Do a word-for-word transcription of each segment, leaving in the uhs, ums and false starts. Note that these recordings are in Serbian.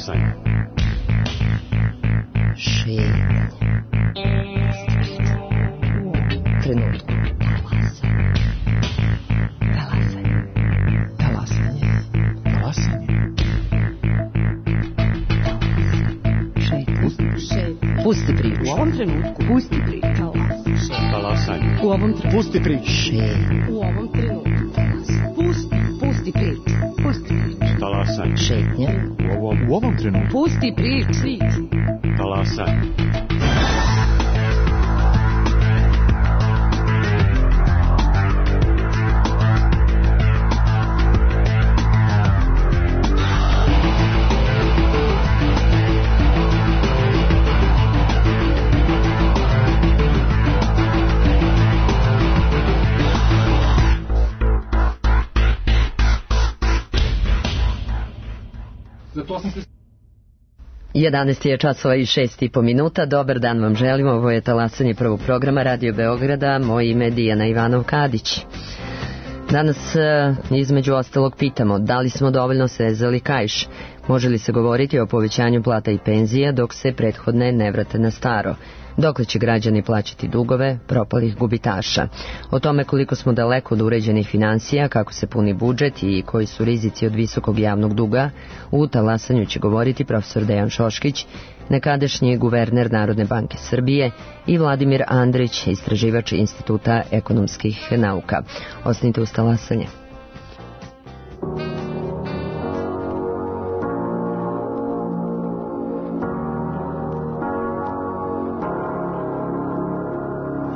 Talasanje. Šetnje. Trenutku. Talasanje. Talasanje. Talasanje. Šetnje. Pusti priču. U ovom trenutku. Pusti priču. Talasanje. U ovom trenutku. Pusti priču. Šetnje. U ovom trenutku. Pusti. Pusti priču. Pusti priču. Talasanje. Šetnje. U ovom, u ovom trenutku. Pusti priču. Talasanje. jedanaest je časova i šest i po minuta. Dobar dan vam želimo. Ovo je Talasanje prvog programa Radio Beograda. Moje ime je Dijana Ivanov-Kadić. Danas između ostalog pitamo da li smo dovoljno srezali kaiš. Može li se govoriti o povećanju plata i penzija dok se prethodne ne vrate na staro? Dokle će građani plaćati dugove propalih gubitaša? O tome koliko smo daleko od uređenih financija, kako se puni budžet i koji su rizici od visokog javnog duga, u Talasanju će govoriti profesor Dejan Šoškić, nekadašnji guverner Narodne banke Srbije, i Vladimir Andrić, istraživač Instituta ekonomskih nauka. Ostanite uz Talasanje.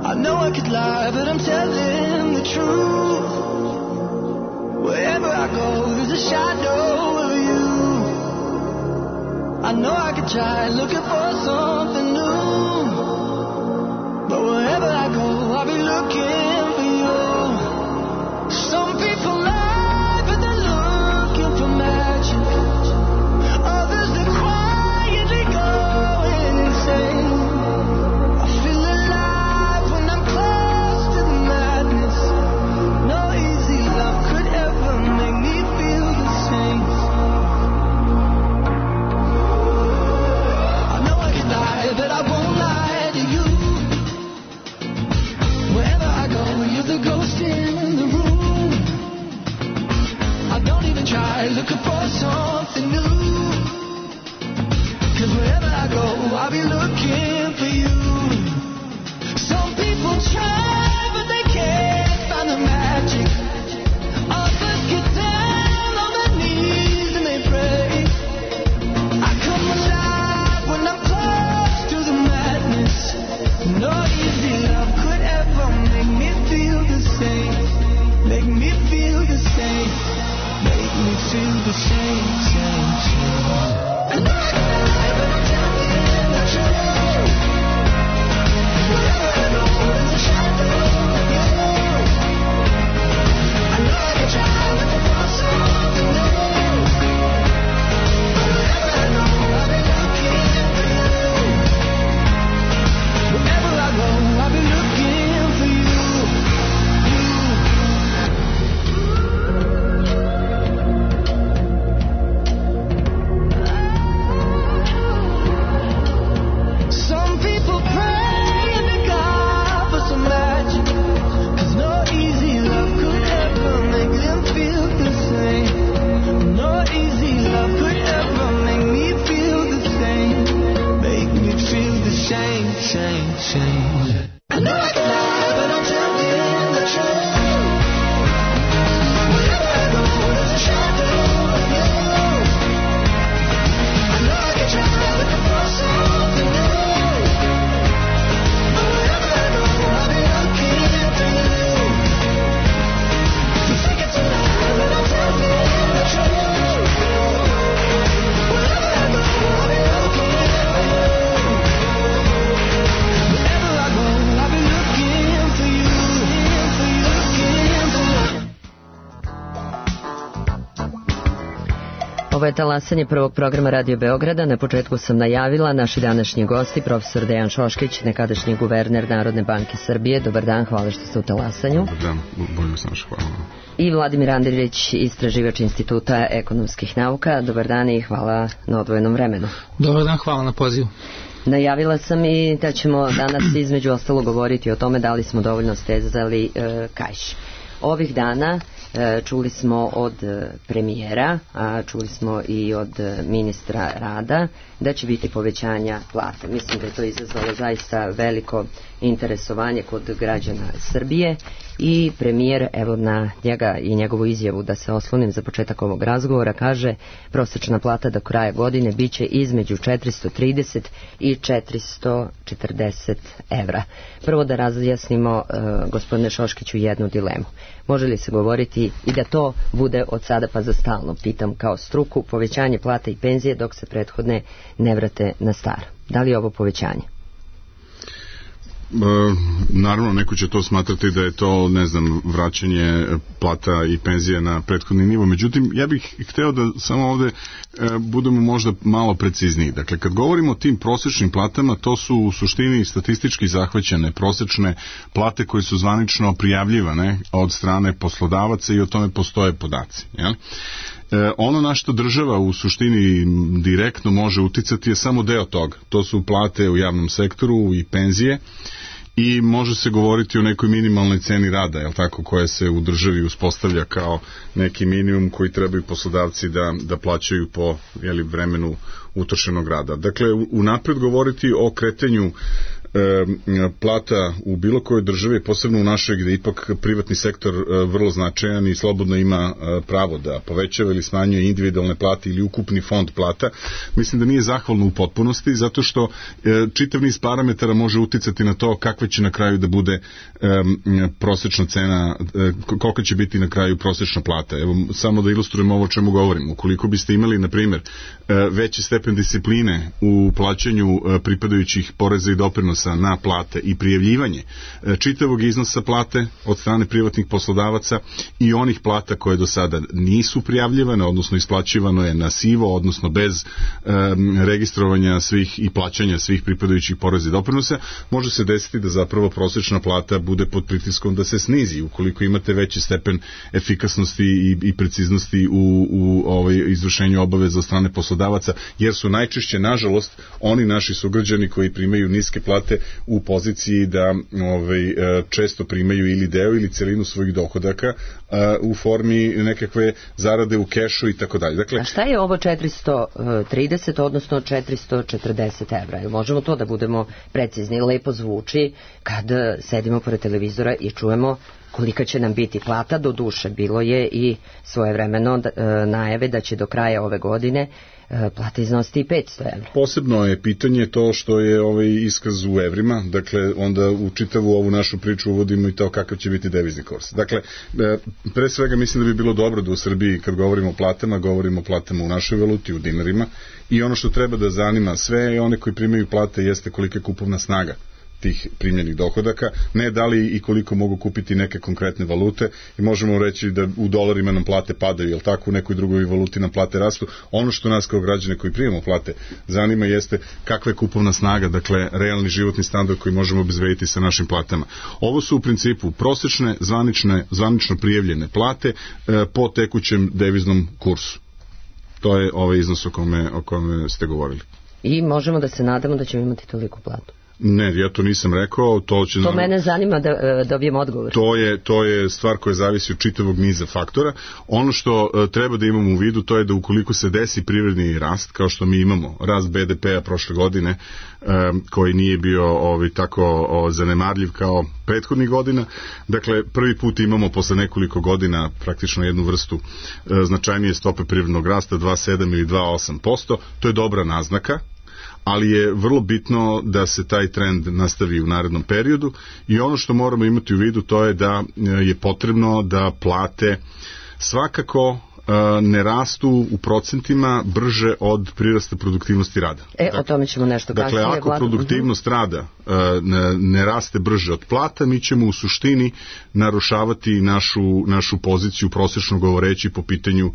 I know I could lie, but I'm telling the truth. Wherever I go, there's a shadow of you. I know I could try looking for something new, but wherever I go, I'll be looking for you. Some people lie, but they're looking for magic. Others, they're quietly going insane. Try looking for something new, 'cause wherever I go, I'll be looking for you. Some people try, but they can't find the magic. Others get down on their knees and they pray. I come alive when I'm close to the madness. No easy love could ever make me feel the same. Make me feel the same. Make me feel the same, same, same. I know I can lie, but I'm telling the truth. Wherever I go, there's a shadow of you. I know I can try looking for something new, but wherever I go, I'll be looking for you. Wherever I go, I'll be looking for you. Shame, shame, shame. I know I can lie, but I'm telling the truth. Wherever I go, there's a shadow of you. I know I can try looking for something new, but wherever I go, I'll be looking for you. You think it's a lie, but I'm telling the truth. Wherever I go, I'll be looking for you. Wherever I go, Ovo je talasanje prvog programa Radio Beograda. Na početku sam najavila naši današnji gosti, profesor Dejan Šoškić, nekadašnji guverner Narodne banke Srbije. Dobar dan, hvala što ste u talasanju. Dobar dan, bolje sam naš, hvala. I Vladimir Andrić, istraživač Instituta ekonomskih nauka. Dobar dan i hvala na odvojenom vremenu. Dobar dan, hvala na pozivu. Najavila sam i da ćemo danas između ostalo govoriti o tome da li smo dovoljno stezali e, kaiš. Ovih dana e, čuli smo od e, premijera, a čuli smo i od e, ministra rada da će biti povećanja plata. Mislim da je to izazvalo zaista veliko interesovanje kod građana Srbije i premijer, evo na njega i njegovu izjavu da se oslonim za početak ovog razgovora, kaže prosječna plata do kraja godine bit će između četiristo trideset i četiristo četrdeset evra. Prvo da razjasnimo, e, gospodine Šoškiću, jednu dilemu. Može li se govoriti i da to bude od sada pa za stalno, pitam kao struku, povećanje plata i penzije dok se prethodne ne vrate na staro? Da li je ovo povećanje? E, naravno, neko će to smatrati da je to, ne znam, vraćanje plata i penzije na prethodni nivo. Međutim, ja bih hteo da samo ovde e, budemo možda malo precizniji. Dakle, kad govorimo o tim prosečnim platama, to su u suštini statistički zahvaćene prosečne plate koje su zvanično prijavljivane od strane poslodavaca i o tome postoje podaci. Jel? E, ono na što država u suštini direktno može uticati je samo deo toga. To su plate u javnom sektoru i penzije i može se govoriti o nekoj minimalnoj ceni rada, jel tako, koja se u državi uspostavlja kao neki minimum koji trebaju poslodavci da, da plaćaju po jeli, vremenu utrošenog rada. Dakle, unapred govoriti o kretanju E, plata u bilo kojoj državi, posebno u našoj gde ipak privatni sektor e, vrlo značajan i slobodno ima e, pravo da povećava ili smanjuje individualne plate ili ukupni fond plata, mislim da nije zahvalno u potpunosti, zato što e, čitav niz parametara može uticati na to kakva će na kraju da bude e, prosečna cena, e, kolika će biti na kraju prosečna plata. Evo, samo da ilustrujem ovo o čemu govorim. Ukoliko biste imali, na primjer, e, veći stepen discipline u plaćanju e, pripadajućih poreza i doprinosa na plate i prijavljivanje čitavog iznosa plate od strane privatnih poslodavaca i onih plata koje do sada nisu prijavljivane, odnosno isplaćivano je na sivo, odnosno bez um, registrovanja svih i plaćanja svih pripadajućih poreza i doprinosa, može se desiti da zapravo prosečna plata bude pod pritiskom da se snizi ukoliko imate veći stepen efikasnosti i, i preciznosti u, u ovaj, izvršenju obaveza od strane poslodavaca, jer su najčešće, nažalost, oni naši sugrađani koji primaju niske plate u poziciji da ovaj, često primaju ili deo ili celinu svojih dohodaka u formi nekakve zarade u kešu i tako dalje. Dakle, a šta je ovo četiristo trideset odnosno četiristo četrdeset evra? Možemo to da budemo precizni? Lepo zvuči kad sedimo pored televizora i čujemo kolika će nam biti plata. Do duše bilo je i svojevremeno najave da će do kraja ove godine plata iznositi i petsto evra. Posebno je pitanje to što je ovaj iskaz u evrima, dakle onda u čitavu ovu našu priču uvodimo i to kakav će biti devizni kurs. Dakle, pre svega mislim da bi bilo dobro da u Srbiji kad govorimo o platama, govorimo o platama u našoj valuti, u dinarima, i ono što treba da zanima sve i one koji primaju plate jeste kolika je kupovna snaga tih primljenih dohodaka, ne da li i koliko mogu kupiti neke konkretne valute, i možemo reći da u dolarima nam plate padaju, jel tako, u nekoj drugoj valuti nam plate rastu. Ono što nas kao građane koji primamo plate zanima jeste kakva je kupovna snaga, dakle realni životni standard koji možemo obezbediti sa našim platama. Ovo su u principu prosečne, zvanične, zvanično prijavljene plate e, po tekućem deviznom kursu. To je ovaj iznos o kome, o kome ste govorili. I možemo da se nadamo da ćemo imati toliko platu. Ne, ja to nisam rekao. To, će, to mene zanima da uh, dobijem odgovor. To je, to je stvar koja zavisi od čitavog niza faktora. Ono što uh, treba da imamo u vidu, to je da ukoliko se desi privredni rast, kao što mi imamo, rast be de pe-a prošle godine, um, koji nije bio ovaj, tako o, zanemarljiv kao prethodnih godina, dakle, prvi put imamo posle nekoliko godina praktično jednu vrstu uh, značajnije stope privrednog rasta, dva zarez sedam ili dva zarez osam posto, to je dobra naznaka, ali je vrlo bitno da se taj trend nastavi u narednom periodu, i ono što moramo imati u vidu to je da je potrebno da plate svakako ne rastu u procentima brže od prirasta produktivnosti rada. E, dakle, o tome ćemo nešto dakle, kasnije. Dakle, ako vlada... produktivnost rada ne, ne raste brže od plata, mi ćemo u suštini narušavati našu, našu poziciju, prosečno govoreći, po pitanju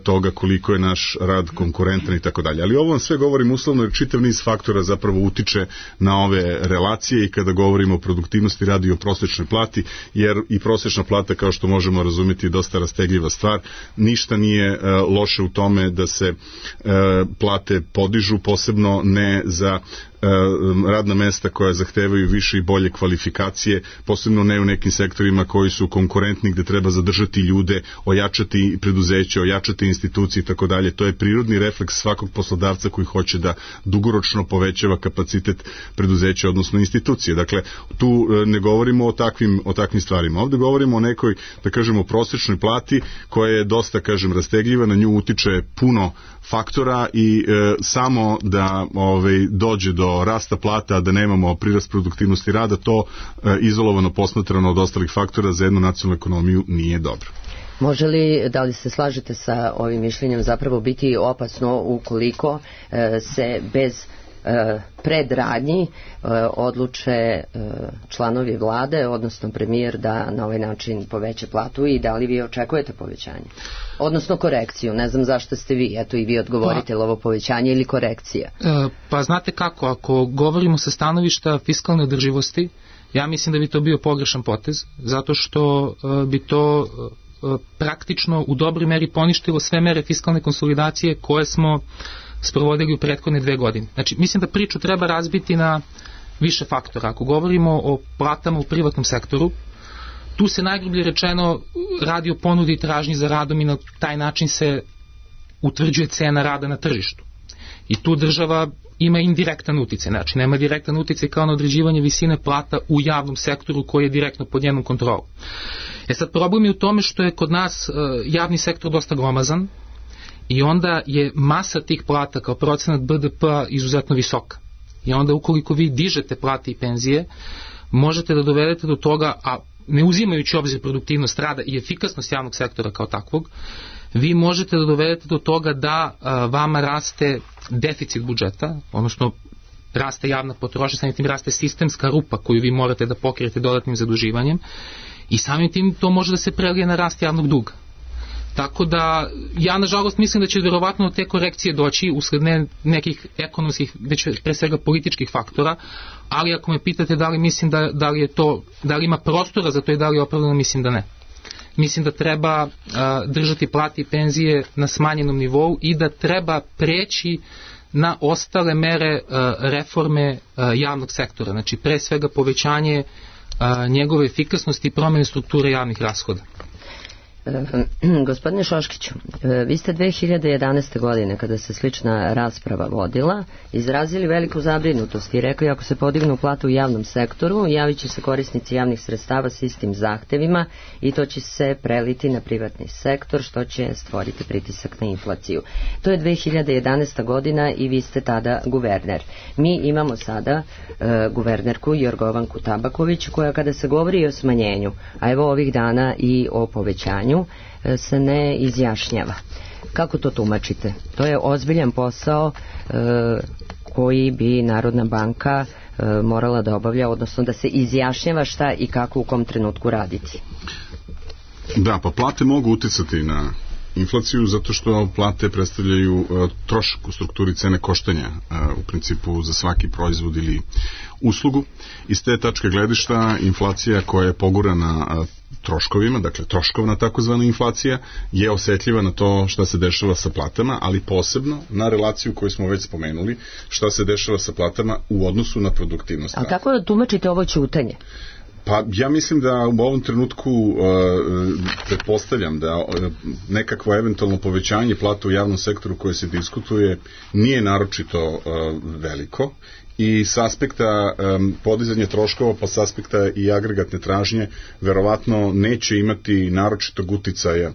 toga koliko je naš rad konkurentan i tako dalje. Ali ovo vam sve govorim uslovno jer čitav niz faktora zapravo utiče na ove relacije i kada govorimo o produktivnosti rada i o prosečnoj plati, jer i prosečna plata, kao što možemo razumjeti, je dosta rastegljiva stvar. Ništa nije uh, loše u tome da se uh, plate podižu, posebno ne za radna mesta koja zahtevaju više i bolje kvalifikacije, posebno ne u nekim sektorima koji su konkurentni, gde treba zadržati ljude, ojačati preduzeće, ojačati institucije i tako dalje. To je prirodni refleks svakog poslodavca koji hoće da dugoročno povećava kapacitet preduzeća, odnosno institucije. Dakle, tu ne govorimo o takvim, o takvim stvarima. Ovde govorimo o nekoj, da kažemo, prosečnoj plati koja je dosta, kažem, rastegljiva, na nju utiče puno faktora i e, samo da ovaj, dođe do rasta plata, a da nemamo prirast produktivnosti rada, to e, izolovano posmatrano od ostalih faktora za jednu nacionalnu ekonomiju nije dobro. Može li, da li se slažete sa ovim mišljenjem, zapravo biti opasno ukoliko e, se bez e, predradnji e, odluče e, članovi vlade, odnosno premijer, da na ovaj način poveća platu, i da li vi očekujete povećanje? Odnosno korekciju, ne znam zašto ste vi, eto i vi odgovorite, pa, ovo povećanje ili korekcija? E, pa znate kako, ako govorimo sa stanovišta fiskalne održivosti, ja mislim da bi to bio pogrešan potez, zato što e, bi to e, praktično u dobroj meri poništilo sve mere fiskalne konsolidacije koje smo sprovodili u prethodne dve godine. Znači, mislim da priču treba razbiti na više faktora. Ako govorimo o platama u privatnom sektoru, tu se najgrublje rečeno radi o ponudi i tražnji za radom i na taj način se utvrđuje cena rada na tržištu. I tu država ima indirektan uticaj, znači nema direktan uticaj kao na određivanje visine plata u javnom sektoru koji je direktno pod njenom kontrolom. E sad, problem je u tome što je kod nas uh, javni sektor dosta glomazan i onda je masa tih plata kao procenat B D P-a izuzetno visoka. I onda ukoliko vi dižete plate i penzije, možete da dovedete do toga, a ne uzimajući obzir produktivnost rada i efikasnost javnog sektora kao takvog, vi možete da dovedete do toga da a, vama raste deficit budžeta, odnosno raste javna potrošnja, samim tim raste sistemska rupa koju vi morate da pokrijete dodatnim zaduživanjem i samim tim to može da se prelije na rast javnog duga. Tako da, ja nažalost mislim da će verovatno te korekcije doći usled ne nekih ekonomskih, već pre svega političkih faktora, ali ako me pitate da li mislim da, da li je to, da li ima prostora za to i da li je opravdano, mislim da ne. Mislim da treba uh, držati plate i penzije na smanjenom nivou i da treba preći na ostale mere uh, reforme uh, javnog sektora, znači pre svega povećanje uh, njegove efikasnosti i promjene strukture javnih rashoda. Gospodine Šoškiću, vi ste dve hiljade jedanaeste. godine, kada se slična rasprava vodila, izrazili veliku zabrinutost i rekli ako se podignu plate u javnom sektoru, javit će se korisnici javnih sredstava s istim zahtevima i to će se preliti na privatni sektor, što će stvoriti pritisak na inflaciju. To je dve hiljade jedanaesta. godina i vi ste tada guverner. Mi imamo sada e, guvernerku Jorgovanku Tabaković, koja kada se govori o smanjenju, a evo ovih dana i o povećanju, se ne izjašnjava. Kako to tumačite? To je ozbiljan posao e, koji bi Narodna banka e, morala da obavlja, odnosno da se izjašnjava šta i kako u kom trenutku raditi. Da, pa plate mogu uticati na inflaciju zato što plate predstavljaju uh, trošak u strukturi cene koštanja uh, u principu za svaki proizvod ili uslugu. Iz te tačke gledišta inflacija koja je pogurana uh, troškovima, dakle troškovna takozvana inflacija, je osetljiva na to šta se dešava sa platama, ali posebno na relaciju koju smo već spomenuli, šta se dešava sa platama u odnosu na produktivnost. A kako da tumačite ovo ćutanje? Pa ja mislim da u ovom trenutku uh, pretpostavljam da uh, nekakvo eventualno povećanje plata u javnom sektoru koje se diskutuje nije naročito uh, veliko i s aspekta um, podizanja troškova, pa s aspekta i agregatne tražnje verovatno neće imati naročitog uticaja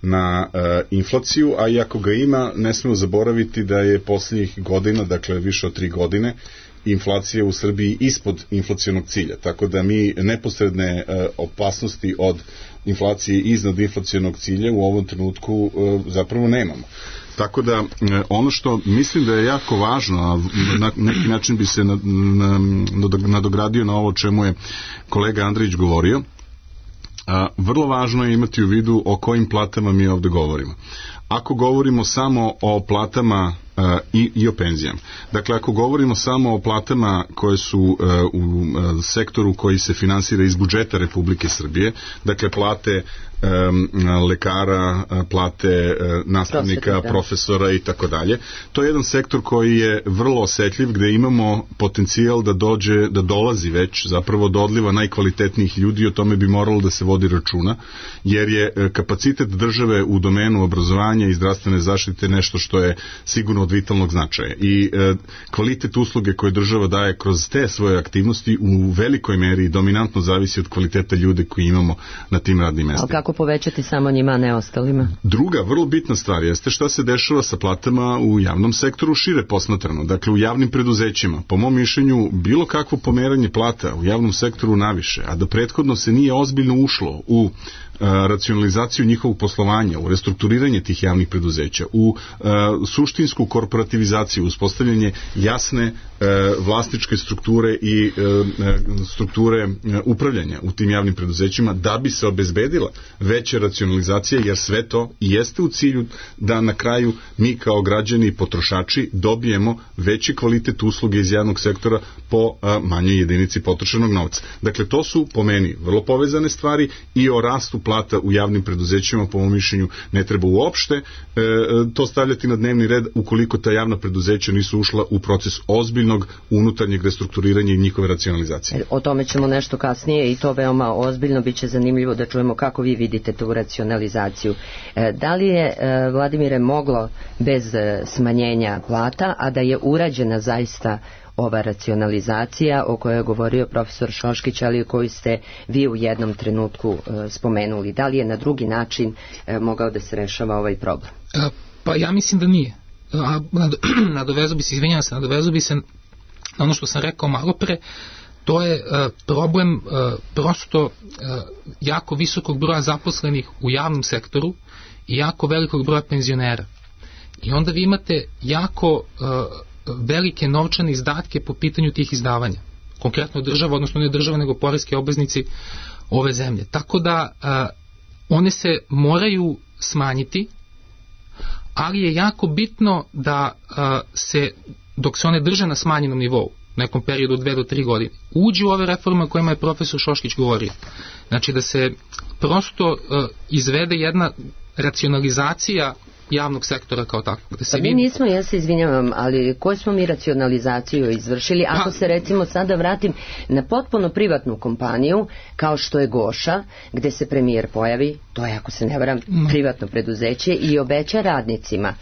na uh, inflaciju, a i ako ga ima, ne smemo zaboraviti da je posljednjih godina, dakle više od tri godine, inflacija u Srbiji ispod inflacionog cilja, tako da mi neposredne opasnosti od inflacije iznad inflacionog cilja u ovom trenutku zapravo nemamo. Tako da ono što mislim da je jako važno, a na neki način bi se nadogradio na ovo čemu je kolega Andrić govorio, a, vrlo važno je imati u vidu o kojim platama mi ovde govorimo. Ako govorimo samo o platama a, i, i o penzijama, dakle ako govorimo samo o platama koje su a, u a, sektoru koji se finansira iz budžeta Republike Srbije, dakle plate Um, lekara, plate uh, nastavnika, profesora i tako dalje. To je jedan sektor koji je vrlo osetljiv, gde imamo potencijal da dođe, da dolazi već zapravo do odliva najkvalitetnijih ljudi, o tome bi moralo da se vodi računa, jer je uh, kapacitet države u domenu obrazovanja i zdravstvene zaštite nešto što je sigurno od vitalnog značaja. I uh, kvalitet usluge koje država daje kroz te svoje aktivnosti u velikoj meri dominantno zavisi od kvaliteta ljude koji imamo na tim radnim mestima. Kako povećati samo njima, a ne ostalima? Druga, vrlo bitna stvar jeste šta se dešava sa platama u javnom sektoru šire posmatrano. Dakle, u javnim preduzećima, po mom mišljenju, bilo kakvo pomeranje plata u javnom sektoru naviše, a da prethodno se nije ozbiljno ušlo u racionalizaciju njihovog poslovanja, u restrukturiranje tih javnih preduzeća, u uh, suštinsku korporativizaciju, uspostavljanje jasne uh, vlasničke strukture i uh, strukture uh, upravljanja u tim javnim preduzećima, da bi se obezbedila veća racionalizacija, jer sve to i jeste u cilju da na kraju mi kao građani i potrošači dobijemo veći kvalitet usluge iz javnog sektora po uh, manjoj jedinici potrošenog novca. Dakle, to su po meni vrlo povezane stvari i o rastu plata u javnim preduzećima, po mom mišljenju, ne treba uopšte e, to stavljati na dnevni red ukoliko ta javna preduzeća nisu ušla u proces ozbiljnog unutarnjeg restrukturiranja i njihove racionalizacije. O tome ćemo nešto kasnije i to veoma ozbiljno, bit će zanimljivo da čujemo kako vi vidite tu racionalizaciju. E, da li je, e, Vladimire, moglo bez e, smanjenja plata, a da je urađena zaista ova racionalizacija o kojoj je govorio profesor Šoškić, ali koju ste vi u jednom trenutku e, spomenuli? Da li je na drugi način e, mogao da se rešava ovaj problem? E, pa ja mislim da nije. A, nadovezu bi se, izvinjam se, nadovezu bi se na ono što sam rekao malo pre, to je e, problem e, prosto e, jako visokog broja zaposlenih u javnom sektoru i jako velikog broja penzionera. I onda vi imate jako e, velike novčane izdatke po pitanju tih izdavanja. Konkretno država, odnosno ne država, nego poreski obveznici ove zemlje. Tako da a, one se moraju smanjiti, ali je jako bitno da a, se, dok se one drže na smanjenom nivou, nekom periodu od dve do tri godine, uđe u ove reforme o kojima je profesor Šoškić govorio. Znači da se prosto a, izvede jedna racionalizacija javnog sektora kao tako. Da se pa mi nismo, ja se izvinjavam, ali koju smo mi racionalizaciju izvršili? Ako pa, se recimo sada vratim na potpuno privatnu kompaniju, kao što je Goša, gde se premijer pojavi, to je, ako se ne varam, no. privatno preduzeće, i obeća radnicima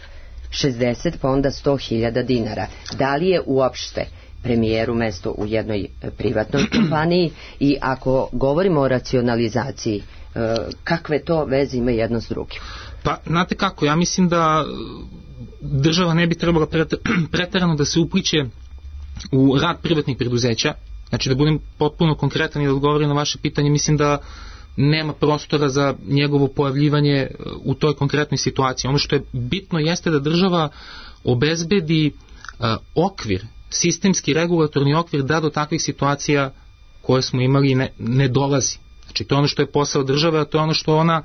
šezdeset pa onda sto hiljada dinara. Da li je uopšte premijeru mesto u jednoj privatnoj kompaniji? I ako govorimo o racionalizaciji, kakve to veze ima jedno s drugim? Pa, znate kako, ja mislim da država ne bi trebala preterano da se upliće u rad privatnih preduzeća. Znači, da budem potpuno konkretan i da odgovorim na vaše pitanje, mislim da nema prostora za njegovo pojavljivanje u toj konkretnoj situaciji. Ono što je bitno jeste da država obezbedi uh, okvir, sistemski regulatorni okvir, da do takvih situacija koje smo imali ne, ne dolazi. Znači, to je ono što je posao države, a to je ono što ona,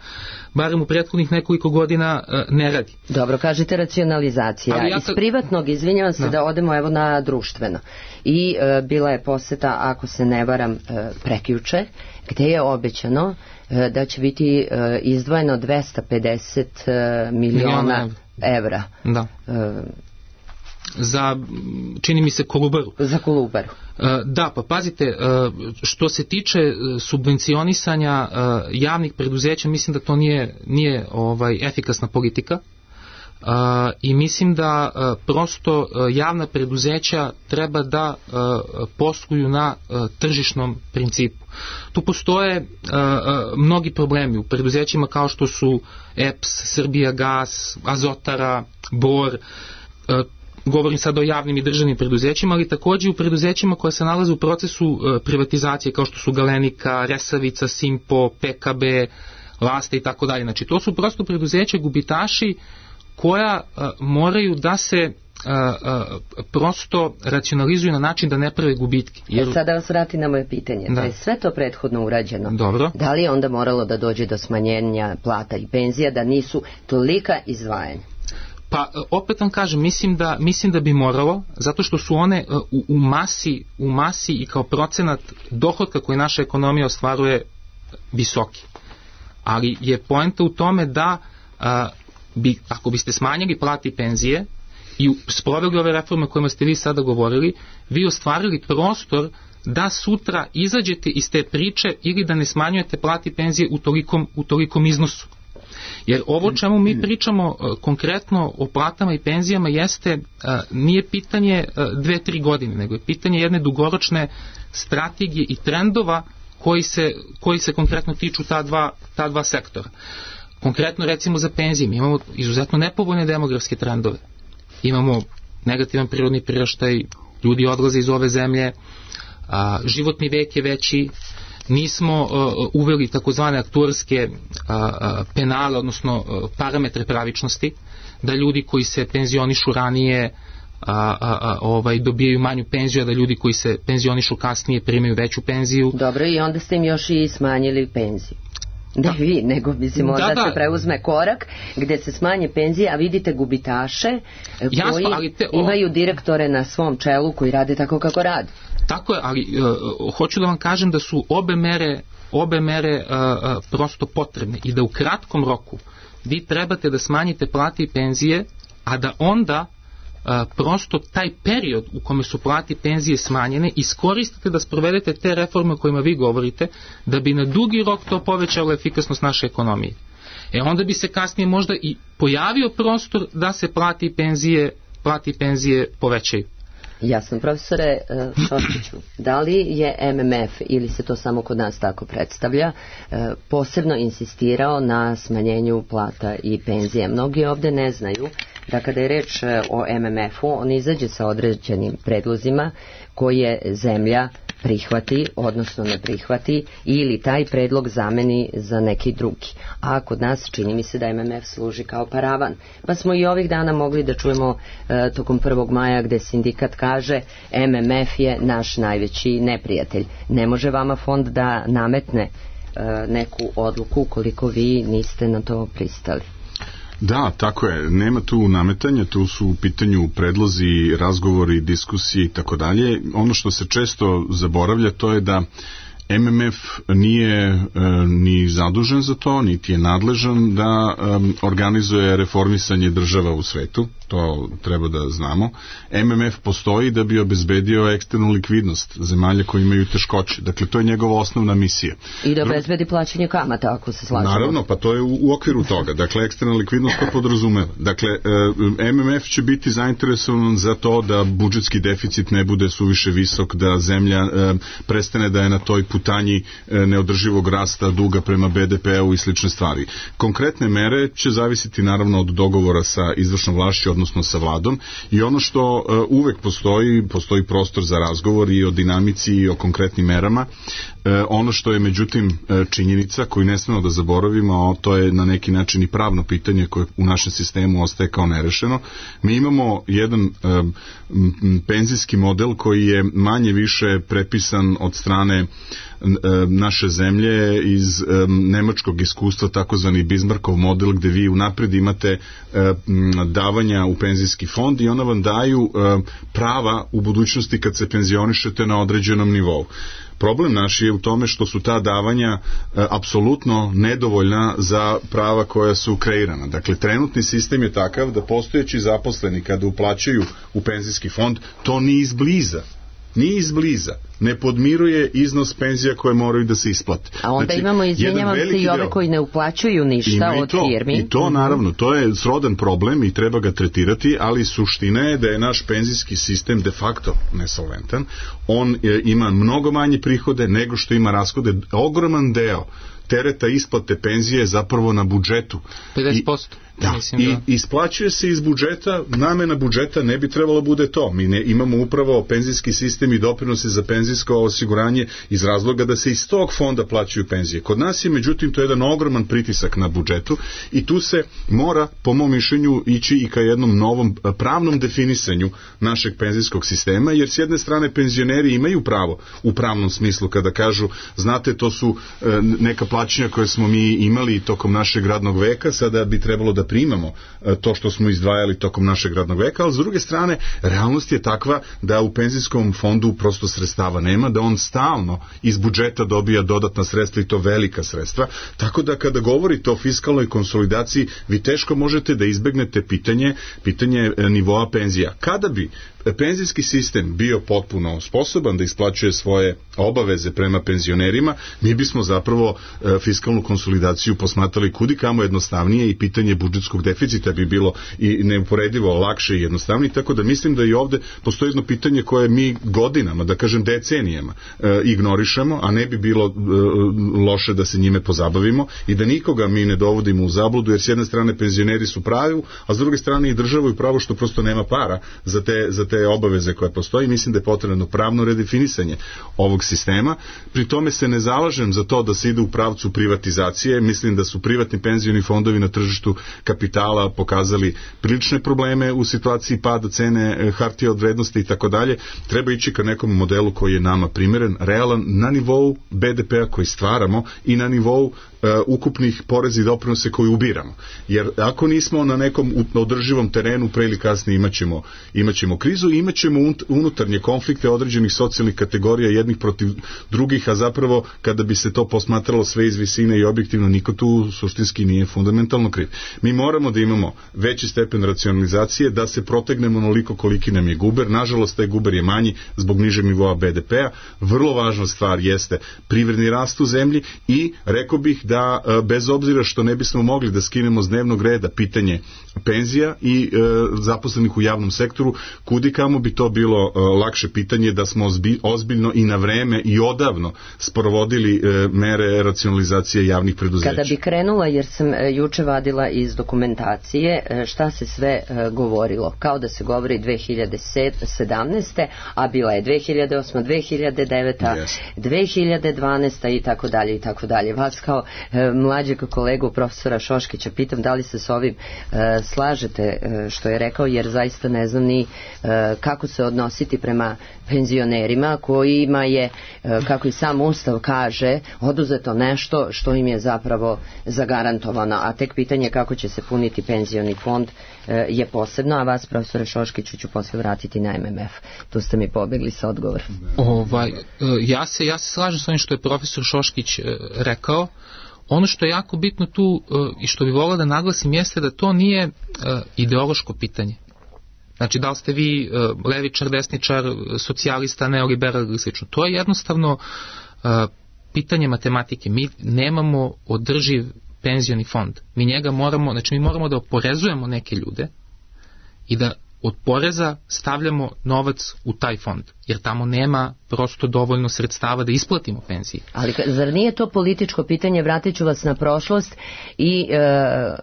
barem u prethodnih nekoliko godina, ne radi. Dobro, kažete racionalizacija. Ja Iz privatnog, izvinjavam se, da, da odemo evo na društveno. I e, bila je poseta, ako se ne varam, e, prekjuče, gde je obećano e, da će biti e, izdvojeno dvesta pedeset e, miliona evra. Da. E, za, čini mi se, Kolubaru. Za Kolubaru. Da, pa pazite, što se tiče subvencionisanja javnih preduzeća, mislim da to nije, nije ovaj, efikasna politika i mislim da prosto javna preduzeća treba da posluju na tržišnom principu. Tu postoje mnogi problemi u preduzećima kao što su E P S, Srbijagas, Azotara, Bor. govorim sad o javnim i državnim preduzećima, ali takođe u preduzećima koja se nalaze u procesu privatizacije, kao što su Galenika, Resavica, Simpo, P K B, Lasta i tako dalje. Znači, to su prosto preduzeća gubitaši koja a, moraju da se a, a, prosto racionalizuju na način da ne prave gubitke. Jer... E, sada vas vrati na moje pitanje. Da. To je sve to prethodno urađeno. Dobro. Da li je onda moralo da dođe do smanjenja plata i penzija, da nisu tolika izdvajanja? Pa opet vam kažem, mislim da, mislim da bi moralo, zato što su one u, u, masi, u masi i kao procenat dohotka koji naša ekonomija ostvaruje visoki. Ali je poenta u tome da a, bi, ako biste smanjili plati i penzije i sproveli ove reforme o kojima ste vi sada govorili, vi ostvarili prostor da sutra izađete iz te priče ili da ne smanjujete plati i penzije u tolikom, u tolikom iznosu. Jer ovo čemu mi pričamo uh, konkretno o platama i penzijama jeste, uh, nije pitanje uh, dve, tri godine, nego je pitanje jedne dugoročne strategije i trendova koji se, koji se konkretno tiču ta dva, ta dva sektora. Konkretno recimo za penzije, mi imamo izuzetno nepovoljne demografske trendove. Imamo negativan prirodni priraštaj, ljudi odlaze iz ove zemlje, a, životni vek je veći, nismo uh, uveli takozvane aktuarske uh, uh, penale, odnosno uh, parametre pravičnosti, da ljudi koji se penzionišu ranije a, a, a, ovaj, dobijaju manju penziju, a da ljudi koji se penzionišu kasnije primaju veću penziju. Dobro, i onda ste im još i smanjili penziju. Ne da. Vi, nego mislim da, da, da se preuzme korak gde se smanje penzije, a vidite gubitaše Jasno, koji ali te, o... imaju direktore na svom čelu koji rade tako kako rade. Tako je, ali uh, hoću da vam kažem da su obe mere, obe mere uh, uh, prosto potrebne i da u kratkom roku vi trebate da smanjite plate i penzije, a da onda uh, prosto taj period u kome su plate i penzije smanjene iskoristite da sprovedete te reforme o kojima vi govorite, da bi na dugi rok to povećalo efikasnost naše ekonomije. E onda bi se kasnije možda i pojavio prostor da se plate i penzije, plate i penzije povećaju. Jasno, profesore Šoškiću, da li je M M F, ili se to samo kod nas tako predstavlja, posebno insistirao na smanjenju plata i penzije? Mnogi ovde ne znaju da kada je reč o M M F-u, on izađe sa određenim predlozima koje zemlja prihvati, odnosno ne prihvati, ili taj predlog zameni za neki drugi. A kod nas čini mi se da M M F služi kao paravan. Pa smo i ovih dana mogli da čujemo e, tokom prvog maja gde sindikat kaže M M F je naš najveći neprijatelj. Ne može vama fond da nametne e, neku odluku ukoliko vi niste na to pristali. Da, tako je. Nema tu nametanja, tu su u pitanju predlozi, razgovori, diskusije i tako dalje. Ono što se često zaboravlja to je da M M F nije e, ni zadužen za to, niti je nadležan da e, organizuje reformisanje država u svetu, to treba da znamo. M M F postoji da bi obezbedio eksternu likvidnost zemalja koji imaju teškoće. Dakle, to je njegova osnovna misija. I da obezbedi plaćanje kamata, ako se slažemo. Naravno, pa to je u, u okviru toga. Dakle, eksterna likvidnost to podrazumeva. Dakle, e, M M F će biti zainteresovan za to da budžetski deficit ne bude suviše visok, da zemlja e, prestane da je na toj putanji neodrživog rasta duga prema B D P-u i slične stvari. Konkretne mere će zavisiti naravno od dogovora sa izvršnom vlašću, odnosno sa vladom, i ono što uh, uvek postoji, postoji prostor za razgovor i o dinamici i o konkretnim merama. Uh, ono što je međutim uh, činjenica koju ne smemo da zaboravimo, to je na neki način i pravno pitanje koje u našem sistemu ostaje kao nerešeno. Mi imamo jedan uh, penzijski model koji je manje više prepisan od strane naše zemlje iz um, nemačkog iskustva, takozvani Bismarckov model, gde vi unapred imate um, davanja u penzijski fond i ona vam daju um, prava u budućnosti kad se penzionišete na određenom nivou. Problem naš je u tome što su ta davanja e, apsolutno nedovoljna za prava koja su kreirana. Dakle, trenutni sistem je takav da postojeći zaposleni kada uplaćaju u penzijski fond, to ni izbliza, ni izbliza ne podmiruje iznos penzija koje moraju da se isplate. A onda znači, imamo, izvinjavam se, i ove koji ne uplaćuju ništa od to, firmi. I to, naravno, to je srodan problem i treba ga tretirati, ali suština je da je naš penzijski sistem de facto nesolventan. On je, ima mnogo manje prihode nego što ima rashode. Ogroman deo tereta isplate penzije je zapravo na budžetu. pedeset posto. Da, Mislim i da... isplaćuje se iz budžeta, namena budžeta ne bi trebalo bude to. Mi ne, imamo upravo penzijski sistem i doprinose za penzijsko osiguranje iz razloga da se iz tog fonda plaćaju penzije. Kod nas je, međutim, to je jedan ogroman pritisak na budžetu i tu se mora, po mom mišljenju, ići i ka jednom novom pravnom definisanju našeg penzijskog sistema, jer s jedne strane penzioneri imaju pravo u pravnom smislu kada kažu, znate, to su e, neka plaćanja koje smo mi imali tokom našeg radnog veka, sada bi trebalo da primamo to što smo izdvajali tokom našeg radnog veka, ali s druge strane realnost je takva da u penzijskom fondu prosto sredstava nema, da on stalno iz budžeta dobija dodatna sredstva i to velika sredstva, tako da kada govorite o fiskalnoj konsolidaciji vi teško možete da izbegnete pitanje, pitanje nivoa penzija. Kada bi penzijski sistem bio potpuno sposoban da isplaćuje svoje obaveze prema penzionerima, mi bismo zapravo e, fiskalnu konsolidaciju posmatrali kudikamo jednostavnije i pitanje budžetskog deficita bi bilo i neuporedivo lakše i jednostavnije, tako da mislim da i ovde postoji jedno pitanje koje mi godinama, da kažem decenijama, e, ignorišemo, a ne bi bilo e, loše da se njime pozabavimo i da nikoga mi ne dovodimo u zabludu, jer s jedne strane penzioneri su pravi, a s druge strane i država i pravo što prosto nema para za te, za te obaveze koje postoji. Mislim da je potrebno pravno redefinisanje ovog sistema. Pri tome se ne zalažem za to da se ide u pravcu privatizacije. Mislim da su privatni penzioni fondovi na tržištu kapitala pokazali prilične probleme u situaciji pada cene hartija od vrednosti i tako dalje. Treba ići ka nekom modelu koji je nama primeren, realan, na nivou be de pea koji stvaramo i na nivou uh, ukupnih poreza i doprinose koji ubiramo. Jer ako nismo na nekom održivom terenu, pre ili kasnije imaćemo, imaćemo krizu i imaćemo unutarnje konflikte određenih socijalnih kategorija jednih protiv drugih, a zapravo kada bi se to posmatralo sve iz visine i objektivno, niko tu suštinski nije fundamentalno kriv. Mi moramo da imamo veći stepen racionalizacije, da se protegnemo onoliko koliki nam je guber. Nažalost, taj guber je manji zbog nižeg nivoa be de pea. Vrlo važna stvar jeste privredni rast u zemlji i rekao bih da bez obzira što ne bismo mogli da skinemo s dnevnog reda pitanje penzija i e, zaposlenih u javnom sektoru, kudikamo bi to bilo e, lakše pitanje da smo ozbi, ozbiljno i na vreme i odavno sprovodili e, mere racionalizacije javnih preduzeća. Kada bi krenula, jer sam e, juče vadila iz dokumentacije e, šta se sve e, govorilo, kao da se govori dve hiljade sedamnaeste. a bila je dve hiljade osma. dve hiljade deveta. Yes. dve hiljade dvanaesta. i tako dalje i tako dalje. Vas kao e, mlađeg kolegu profesora Šoškića pitam da li se s ovim e, slažete e, što je rekao, jer zaista ne znam ni e, kako se odnositi prema penzionerima kojima je, e, kako i sam Ustav kaže, oduzeto nešto što im je zapravo zagarantovano, a tek pitanje kako će se puniti penzioni fond e, je posebno, a vas, profesore Šoškiću, ću posle vratiti na em em ef. Tu ste mi pobegli sa odgovorom. Ovaj, ja, se, ja se slažem s onim što je profesor Šoškić e, rekao. Ono što je jako bitno tu i što bi volio da naglasim jeste da to nije ideološko pitanje. Znači, da li ste vi levičar, desničar, socijalista, neoliberal ili slično. To je jednostavno pitanje matematike. Mi nemamo održiv penzioni fond. Mi njega moramo, znači mi moramo da oporezujemo neke ljude i da od poreza stavljamo novac u taj fond, jer tamo nema prosto dovoljno sredstava da isplatimo penzije. Ali zar nije to političko pitanje? Vratit ću vas na prošlost i e,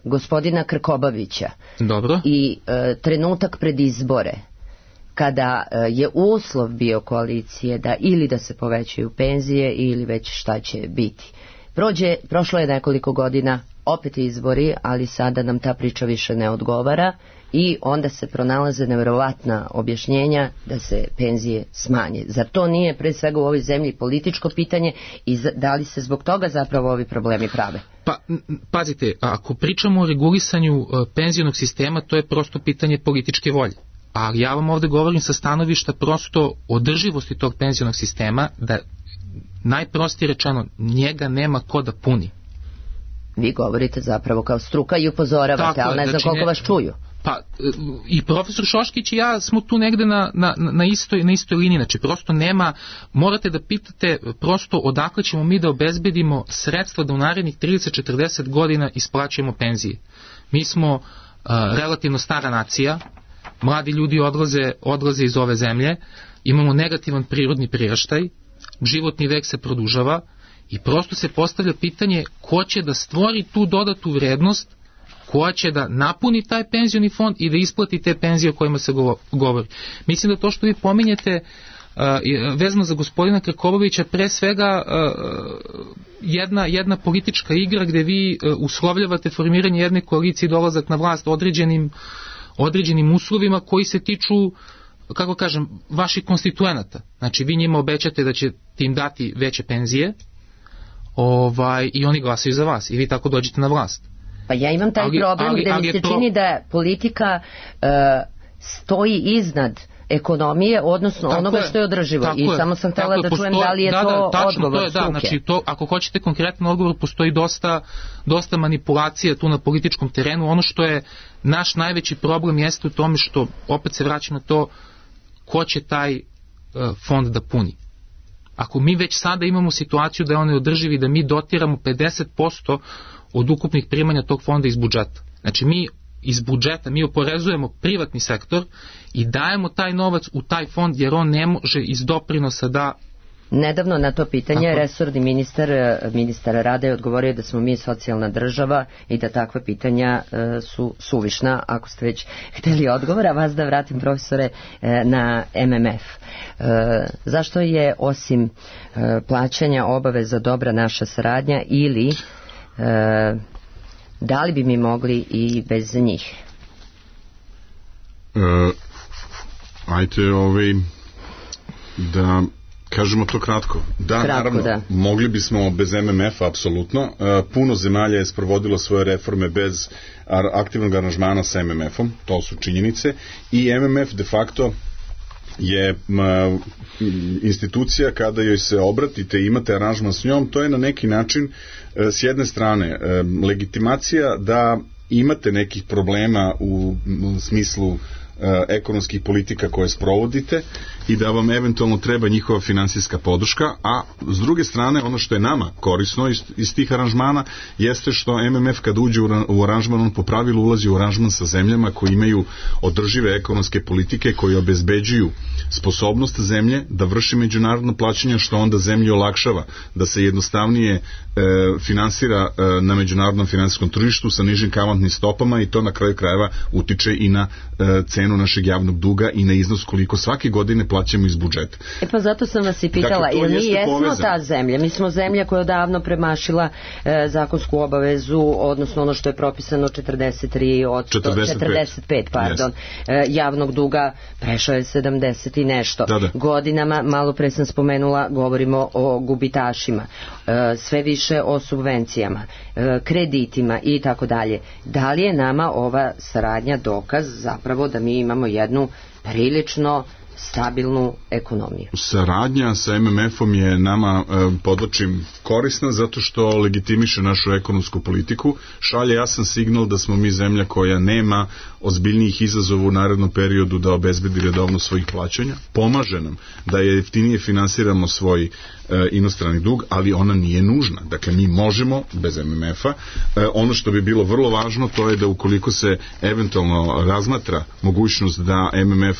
gospodina Krkobabića. Dobro. I e, trenutak pred izbore, kada e, je uslov bio koalicije da ili da se povećaju penzije ili već šta će biti. Prođe, prošlo je nekoliko godina, opet izbori, ali sada nam ta priča više ne odgovara i onda se pronalaze nevjerovatna objašnjenja da se penzije smanje. Zar to nije pre svega u ovoj zemlji političko pitanje i da li se zbog toga zapravo ovi problemi prave? Pa, pazite, ako pričamo o regulisanju penzionog sistema, to je prosto pitanje političke volje. Ali ja vam ovde govorim sa stanovišta prosto održivosti tog penzionog sistema, da najprostije rečeno njega nema ko da puni. Vi govorite zapravo kao struka i upozoravate, tako, ali ne znam znači koliko ne, vas čuju. Pa i profesor Šoškić i ja smo tu negde na, na, na, istoj, na istoj liniji, znači prosto nema, morate da pitate prosto odakle ćemo mi da obezbedimo sredstva da u narednih trideset do četrdeset godina isplaćujemo penzije. Mi smo uh, relativno stara nacija, mladi ljudi odlaze, odlaze iz ove zemlje, imamo negativan prirodni priraštaj, životni vek se produžava I prosto se postavlja pitanje ko će da stvori tu dodatu vrednost, koja će da napuni taj penzioni fond i da isplati te penzije o kojima se govori. Mislim da to što vi pominjete uh, vezano za gospodina Krkobabića pre svega uh, jedna, jedna politička igra gde vi uh, uslovljavate formiranje jedne koalicije i dolazak na vlast određenim, određenim uslovima koji se tiču, kako kažem, vaših konstituenata. Znači vi njima obećate da će im dati veće penzije, ovaj, i oni glasaju za vas i vi tako dođete na vlast. Pa ja imam taj ali, problem ali, gde ali mi se pro... čini da politika uh, stoji iznad ekonomije, odnosno tako onoga je, što je održivo. I je, samo sam htjela da čujem da li je da, to da, tačno, odgovor to je, struke. Da, znači to, ako hoćete konkretan odgovor, postoji dosta, dosta manipulacija tu na političkom terenu. Ono što je naš najveći problem jeste u tome što, opet se vraćam na to, ko će taj uh, fond da puni. Ako mi već sada imamo situaciju da je on održivi, da mi dotiramo pedeset posto od ukupnih primanja tog fonda iz budžeta. Znači mi iz budžeta, mi oporezujemo privatni sektor i dajemo taj novac u taj fond jer on ne može iz doprinosa da... Nedavno na to pitanje Tako. resorni ministar, ministar Rada je odgovorio da smo mi socijalna država i da takva pitanja e, su suvišna, ako ste već hteli odgovor, a vas da vratim, profesore, e, na M M F. E, zašto je osim e, plaćanja obaveza dobra naša saradnja ili e, da li bi mi mogli i bez njih? E, ajte ovaj, da kažemo to kratko. Da, kratko, naravno, da. Mogli bismo bez M M F-a, apsolutno. E, puno zemalja je sprovodilo svoje reforme bez aktivnog aranžmana sa M M F-om, to su činjenice, i M M F de facto je ma, institucija kada joj se obratite i imate aranžman s njom, to je na neki način e, s jedne strane e, legitimacija da imate nekih problema u, u smislu ekonomskih politika koje sprovodite i da vam eventualno treba njihova finansijska podrška, a s druge strane ono što je nama korisno iz, iz tih aranžmana jeste što M M F kad uđe u aranžman, on po pravilu ulazi u aranžman sa zemljama koji imaju održive ekonomske politike koji obezbeđuju sposobnost zemlje da vrši međunarodno plaćanje, što onda zemlji olakšava da se jednostavnije e, finansira e, na međunarodnom finansijskom tržištu sa nižim kamatnim stopama i to na kraju krajeva utiče i na e, cenu našeg javnog duga i na iznos koliko svake godine plaćamo iz budžeta. E pa zato sam vas i pitala, dakle, jer mi jesmo povezan. ta zemlja, mi smo zemlja koja je odavno premašila e, zakonsku obavezu, odnosno ono što je propisano četrdeset tri od četrdeset pet, četrdeset pet pardon, yes. e, javnog duga prešao je sedamdeset i nešto. Da, da. Godinama, malo pre sam spomenula, govorimo o gubitašima, e, sve više o subvencijama, e, kreditima i tako dalje. Da li je nama ova saradnja dokaz zapravo da mi imamo jednu prilično stabilnu ekonomiju? Saradnja sa M M F-om je nama, e, podlačim, korisna zato što legitimiše našu ekonomsku politiku, šalje jasan signal da smo mi zemlja koja nema ozbiljnijih izazova u narednom periodu da obezbedi redovno svojih plaćanja, pomaže nam da je jeftinije finansiramo svoj e, inostrani dug, ali ona nije nužna. Dakle, mi možemo bez M M F-a. E, ono što bi bilo vrlo važno, to je da ukoliko se eventualno razmatra mogućnost da M M F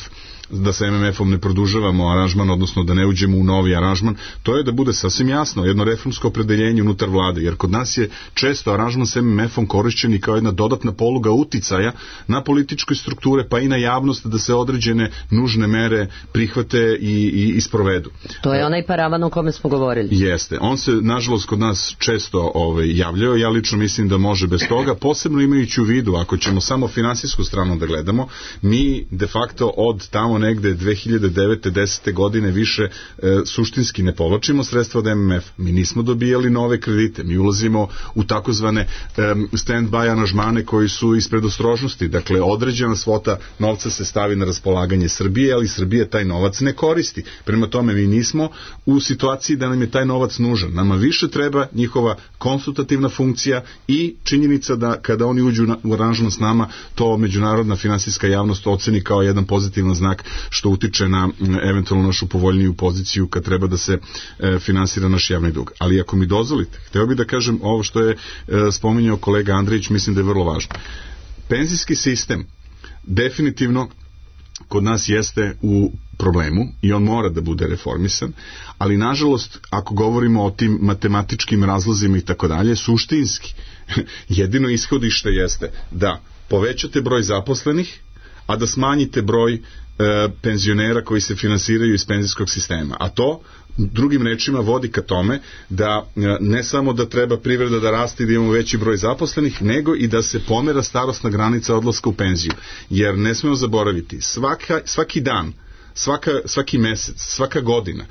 da sa M M F-om ne produžavamo aranžman, odnosno da ne uđemo u novi aranžman, to je da bude sasvim jasno jedno reformsko opredeljenje unutar vlade, jer kod nas je često aranžman sa M M F-om korišćen i kao jedna dodatna poluga uticaja na političke strukture, pa i na javnost da se određene nužne mere prihvate i, i, i sprovedu. To je onaj paravan o kome smo govorili. Jeste. On se, nažalost, kod nas često ovaj, javljao. Ja lično mislim da može bez toga, posebno imajući u vidu, ako ćemo samo finansijsku stranu da gledamo, mi de facto od tamo negde dve hiljade devete desete godine više e, suštinski ne povlačimo sredstva od M M F. Mi nismo dobijali nove kredite. Mi ulazimo u takozvane e, stand-by aranžmane koji su iz predostrožnosti. Dakle, određena svota novca se stavi na raspolaganje Srbije, ali Srbija taj novac ne koristi. Prema tome, mi nismo u situaciji da nam je taj novac nužan. Nama više treba njihova konsultativna funkcija i činjenica da kada oni uđu na, u aranžman s nama, to međunarodna finansijska javnost oceni kao jedan pozitivan znak što utiče na eventualno našu povoljniju poziciju kad treba da se e, finansira naš javni dug. Ali ako mi dozvolite, hteo bih da kažem ovo što je e, spominjao kolega Andrić, mislim da je vrlo važno. Penzijski sistem definitivno kod nas jeste u problemu i on mora da bude reformisan, ali nažalost, ako govorimo o tim matematičkim razlozima i tako dalje, suštinski, jedino ishodište jeste da povećate broj zaposlenih, a da smanjite broj e, penzionera koji se finansiraju iz penzijskog sistema. A to, drugim rečima, vodi ka tome da e, ne samo da treba privreda da raste i da imamo veći broj zaposlenih, nego i da se pomera starosna granica odlaska u penziju. Jer ne smemo zaboraviti, svaka, svaki dan, svaka, svaki mesec, svaka godina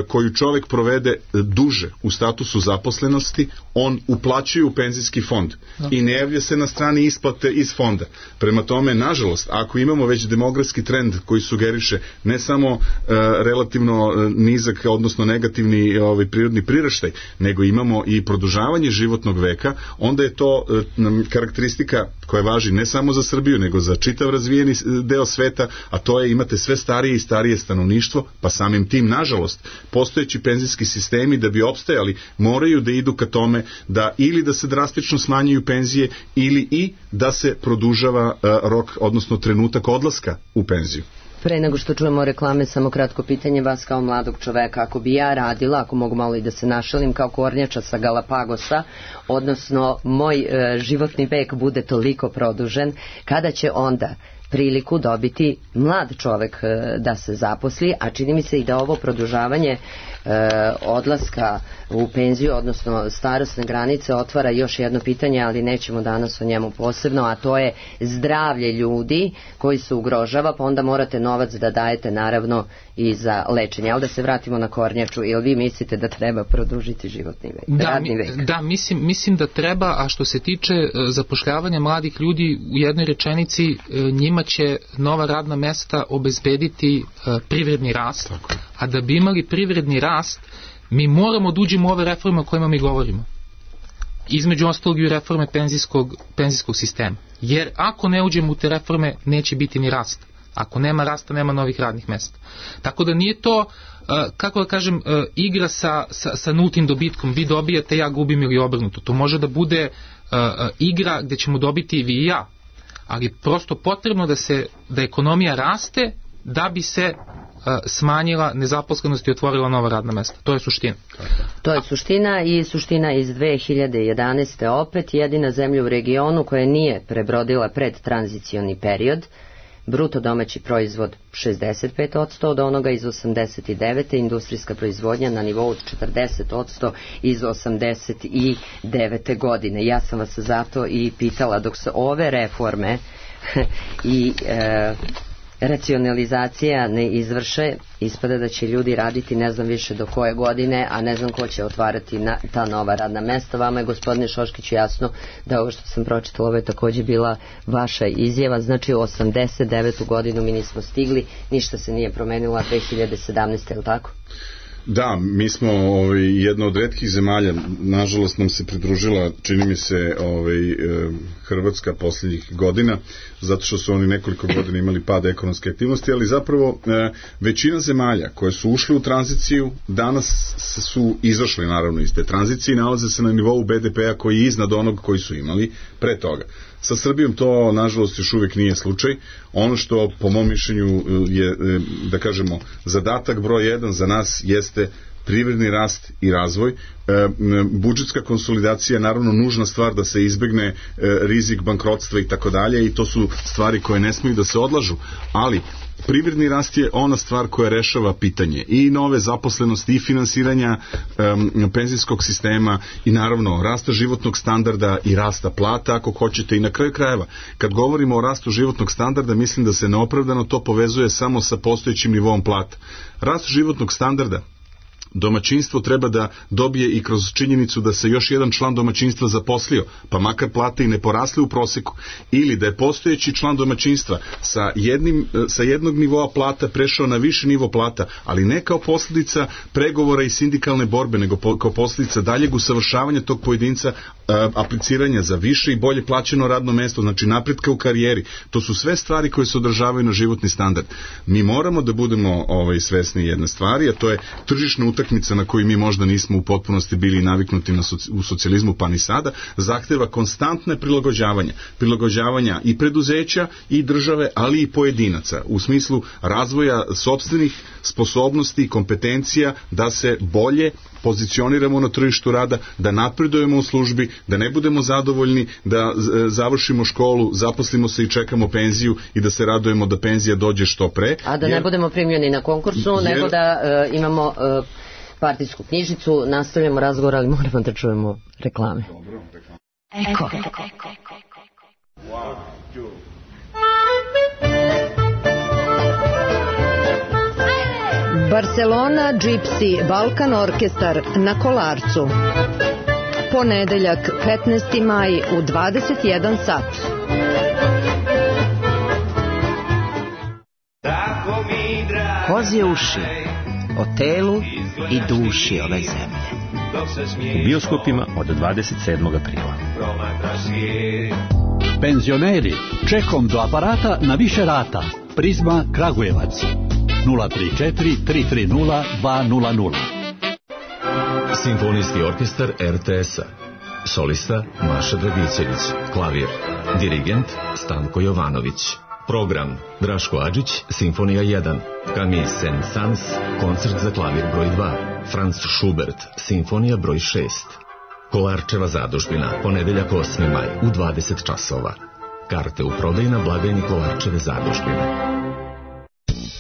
koju čovek provede duže u statusu zaposlenosti, on uplaćuje u penzijski fond i ne javlja se na strani isplate iz fonda. Prema tome, nažalost, ako imamo već demografski trend koji sugeriše ne samo uh, relativno uh, nizak, odnosno negativni ovaj, prirodni priraštaj, nego imamo i produžavanje životnog veka, onda je to uh, karakteristika koja važi ne samo za Srbiju, nego za čitav razvijeni deo sveta, a to je imate sve starije i starije stanovništvo, pa samim tim, nažalost, postojeći penzijski sistemi da bi opstajali moraju da idu ka tome da ili da se drastično smanjuju penzije ili i da se produžava uh, rok, odnosno trenutak odlaska u penziju. Pre nego što čujemo reklame, samo kratko pitanje vas kao mladog čoveka. Ako bi ja radila, ako mogu malo i da se našalim, kao kornjača sa Galapagosa, odnosno moj e, životni vek bude toliko produžen, kada će onda priliku dobiti mlad čovek e, da se zaposli, a čini mi se i da ovo produžavanje e, odlaska u penziju, odnosno starosne granice, otvara još jedno pitanje, ali nećemo danas o njemu posebno, a to je zdravlje ljudi koji se ugrožava, pa onda morate novac da dajete naravno i za lečenje. Ali da se vratimo na kornjaču, jel vi mislite da treba produžiti životni vek, da, radni vek? Da, mislim, mislim da treba, a što se tiče zapošljavanja mladih ljudi, u jednoj rečenici, njima će nova radna mesta obezbediti privredni rast, a da bi imali privredni rast, mi moramo da uđemo u ove reforme o kojima mi govorimo. Između ostalog i reforme penzijskog, penzijskog sistema. Jer ako ne uđemo u te reforme, neće biti ni rasta. Ako nema rasta, nema novih radnih mesta. Tako da nije to, kako da kažem, igra sa, sa, sa nultim dobitkom. Vi dobijate, ja gubim ili obrnuto. To može da bude igra gde ćemo dobiti i vi i ja. Ali prosto potrebno da se, da ekonomija raste da bi se smanjila nezaposlenost i otvorila nova radna mesta. To je suština. To je suština i suština iz dve hiljade jedanaeste opet jedina zemlja u regionu koja nije prebrodila predtranzicioni period. Bruto domaći proizvod šezdeset pet posto od onoga iz osamdeset devete. Industrijska proizvodnja na nivou od četrdeset posto iz osamdeset devete. godine. Ja sam vas zato i pitala, dok se ove reforme i e, racionalizacija ne izvrše, ispada da će ljudi raditi ne znam više do koje godine, a ne znam ko će otvarati na, ta nova radna mesta. Vama je, gospodine Šoškiću, jasno da ovo što sam pročitala, ovo je takođe bila vaša izjava, znači u osamdeset devetu godinu mi nismo stigli, ništa se nije promenilo, dve hiljade sedamnaeste. je li tako? Da, mi smo ovaj, jedna od retkih zemalja, nažalost nam se pridružila, čini mi se, ovaj, Hrvatska posljednjih godina, zato što su oni nekoliko godina imali pad ekonomske aktivnosti, ali zapravo većina zemalja koje su ušli u tranziciju danas su izašli naravno iz te tranzicije i nalaze se na nivou be de pe-a koji je iznad onog koji su imali pre toga. Sa Srbijom to, nažalost, još uvijek nije slučaj. Ono što, po mom mišljenju, je, da kažemo, zadatak broj jedan za nas jeste privredni rast i razvoj. E, budžetska konsolidacija je naravno nužna stvar da se izbegne e, rizik bankrotstva i tako dalje, i to su stvari koje ne smiju da se odlažu, ali privredni rast je ona stvar koja rešava pitanje i nove zaposlenosti i finansiranja um, penzijskog sistema i naravno rasta životnog standarda i rasta plata, ako hoćete, i na kraju krajeva. Kad govorimo o rastu životnog standarda, mislim da se neopravdano to povezuje samo sa postojećim nivoom plata. Rast životnog standarda domaćinstvo treba da dobije i kroz činjenicu da se još jedan član domaćinstva zaposlio, pa makar plate i ne porasle u proseku, ili da je postojeći član domaćinstva sa, jednim, sa jednog nivoa plata prešao na viši nivo plata, ali ne kao posljedica pregovora i sindikalne borbe, nego po, kao posljedica daljeg usavršavanja tog pojedinca, a, apliciranja za više i bolje plaćeno radno mesto, znači napretka u karijeri. To su sve stvari koje se održavaju na životni standard. Mi moramo da budemo ovaj, svesni jedne stvari, a to je tržišna utakmica utakmica na koju mi možda nismo u potpunosti bili naviknuti na soci, u socijalizmu pa ni sada, zahteva konstantne prilagođavanja. Prilagođavanja i preduzeća i države, ali i pojedinaca u smislu razvoja sopstvenih sposobnosti i kompetencija da se bolje pozicioniramo na tržištu rada, da napredujemo u službi, da ne budemo zadovoljni, da završimo školu, zaposlimo se i čekamo penziju i da se radujemo da penzija dođe što pre. A da jer, ne budemo primljeni na konkursu, jer, nego da uh, imamo uh, partijsku knjižicu, nastavljamo razgovor, ali moramo da čujemo reklame. Dobro, reklame. Eko. One, two. Barcelona Gypsy Balkan Orkestar na Kolarcu. Ponedeljak petnaesti maj u dvadeset jedan sat. Kozje uši o telu i duši ove zemlje. U bioskopima od dvadeset sedmog aprila. Penzioneri, čekom do aparata na više rata. Prizma Kragujevac. nula tri četiri tri tri nula dva nula nula. Simfonijski orkestar er te es-a. Solista Maša Dragićević. Klavir. Dirigent Stanko Jovanović. Program Draško Adžić, Simfonija jedan. Camille Saint-Saëns, koncert za klavir broj dva. Franz Schubert, Simfonija broj šest. Kolarčeva zadužbina, ponedeljak osmi maj u dvadeset časova. Karte u prodaju na blagajni Kolarčeve zadužbine.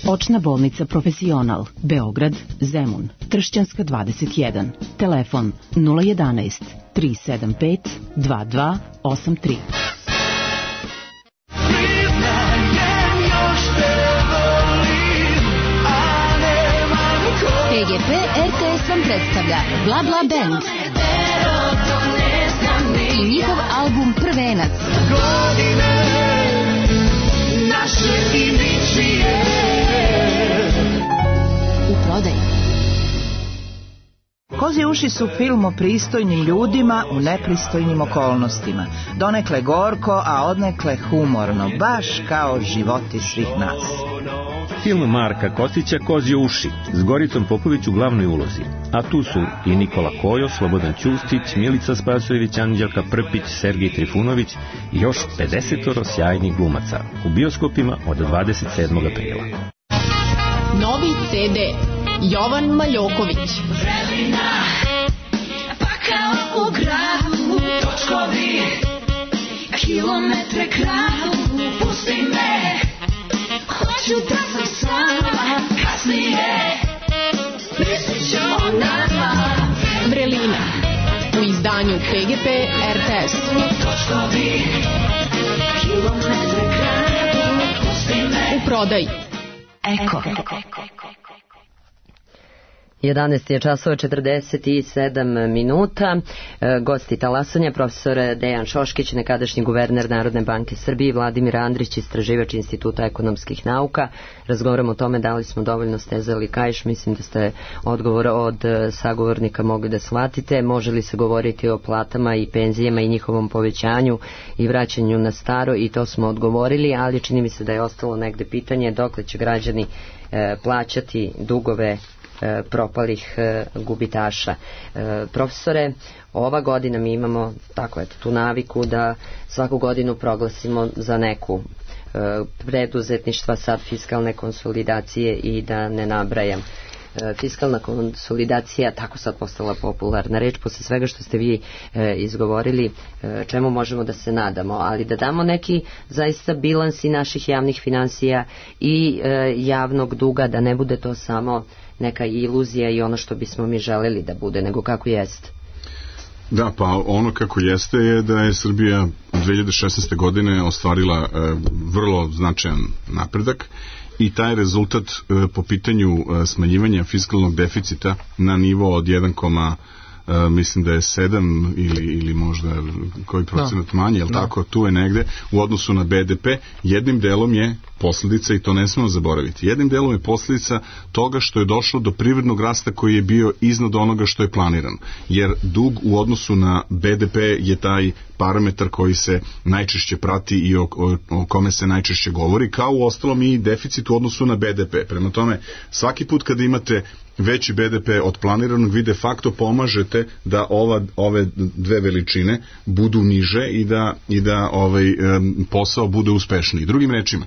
Očna bolnica Profesional, Beograd, Zemun, Tršćanska dvadeset jedan. Telefon nula jedanaest tri sedam pet dva dva osam tri. P G P er te es vam predstavlja Bla Bla Band i njihov album Prvenac. U prodaji. Kozje uši su film o pristojnim ljudima u nepristojnim okolnostima. Donekle gorko, a odnekle humorno, baš kao životi svih nas. Film Marka Kostića Kozje uši s Goricom Popović u glavnoj ulozi. A tu su i Nikola Kojo, Slobodan Ćustić, Milica Spasojević, Anđelka Prpić, Sergij Trifunović i još pedesetoro sjajnih glumaca. U bioskopima od dvadeset sedmog aprila. Novi ce de Jovan Maljoković. Vremena, pa kao u gradu, točkovi, kilometre kraju, pusti me, hoću da sam sama, kasnije, mislit ću o nama. Vrelina, u izdanju P G P er te es. Točkovi, kilometre kraju, pusti me. U prodaji. Eko. jedanaest je časova četrdeset sedam minuta. E, gosti talasanja, profesor Dejan Šoškić, nekadašnji guverner Narodne banke Srbije, i Vladimir Andrić, istraživač Instituta ekonomskih nauka. Razgovaramo o tome da li smo dovoljno stezali kaiš. Mislim da ste odgovor od sagovornika mogli da shvatite. Može li se govoriti o platama i penzijama i njihovom povećanju i vraćanju na staro, i to smo odgovorili, ali čini mi se da je ostalo negde pitanje dokle će građani e, plaćati dugove propalih e, gubitaša. E, profesore, ova godina mi imamo tako eto, tu naviku da svaku godinu proglasimo za neku e, preduzetništva, sad fiskalne konsolidacije i da ne nabrajam. E, fiskalna konsolidacija tako sad postala popularna reč posle svega što ste vi e, izgovorili, e, čemu možemo da se nadamo, ali da damo neki zaista bilansi naših javnih finansija i e, javnog duga, da ne bude to samo neka iluzija i ono što bismo mi želeli da bude, nego kako jeste. Da, pa ono kako jeste je da je Srbija dve hiljade šesnaeste. godine ostvarila e, vrlo značajan napredak i taj rezultat e, po pitanju e, smanjivanja fiskalnog deficita na nivo od jedan, Uh, mislim da je sedam ili, ili možda koji procenat manje, jel tako, tu je negde u odnosu na be de pe, jednim delom je posljedica, i to ne smemo zaboraviti, jednim delom je posljedica toga što je došlo do privrednog rasta koji je bio iznad onoga što je planiran, jer dug u odnosu na be de pe je taj parametar koji se najčešće prati i o, o, o kome se najčešće govori, kao u ostalom i deficit u odnosu na be de pe. Prema tome, svaki put kada imate veći be de pe od planiranog, vi de facto pomažete da ova, ove dve veličine budu niže i da, i da ovaj, posao bude uspešniji. Drugim rečima,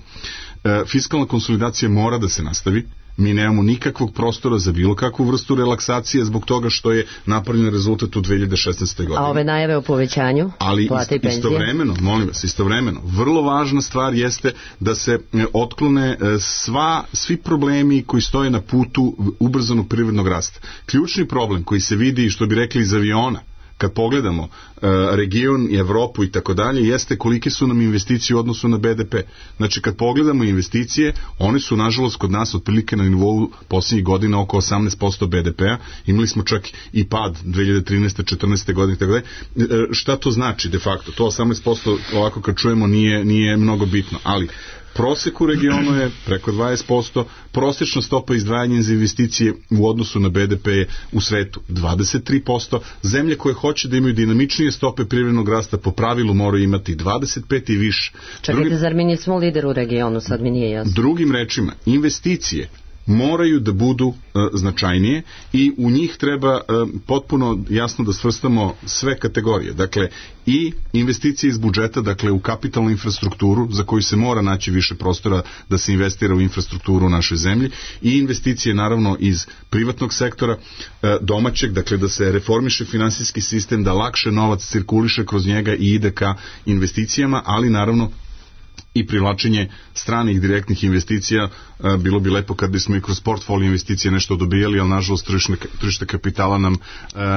fiskalna konsolidacija mora da se nastavi. Mi nemamo nikakvog prostora za bilo kakvu vrstu relaksacije zbog toga što je napravljen rezultat u dve hiljade šesnaeste. godine. A ove najave o povećanju ali plate i penzije? Istovremeno, molim vas, istovremeno, vrlo važna stvar jeste da se otklone sva, svi problemi koji stoje na putu ubrzanog privrednog rasta. Ključni problem koji se vidi, što bi rekli iz aviona, kad pogledamo uh, region i Evropu i tako dalje, jeste kolike su nam investicije u odnosu na be de pe. Znači, kad pogledamo investicije, one su, nažalost, kod nas otprilike na nivou posljednjih godina oko osamnaest posto be de pe-a. Imali smo čak i pad dve hiljade trinaeste. četrnaeste. godine i tako dalje. Uh, šta to znači de facto? To osamnaest posto, ovako kad čujemo, nije, nije mnogo bitno, ali prosek u regionu je preko dvadeset posto, prosječna stopa izdvajanja za investicije u odnosu na be de pe je u svetu dvadeset tri posto. Zemlje koje hoće da imaju dinamičnije stope privrednog rasta po pravilu moraju imati dvadeset pet i više. Čekajte, Drugim, zar mi nismo lider u regionu, sad mi nije jasno. Drugim rečima, investicije moraju da budu uh, značajnije i u njih treba uh, potpuno jasno da svrstamo sve kategorije. Dakle, i investicije iz budžeta, dakle u kapitalnu infrastrukturu za koju se mora naći više prostora da se investira u infrastrukturu u našoj zemlji, i investicije naravno iz privatnog sektora, uh, domaćeg, dakle da se reformiše finansijski sistem, da lakše novac cirkuliše kroz njega i ide ka investicijama, ali naravno i privlačenje stranih direktnih investicija. Bilo bi lepo kad bismo i kroz portfolio investicije nešto dobijali, ali nažalost tržište kapitala nam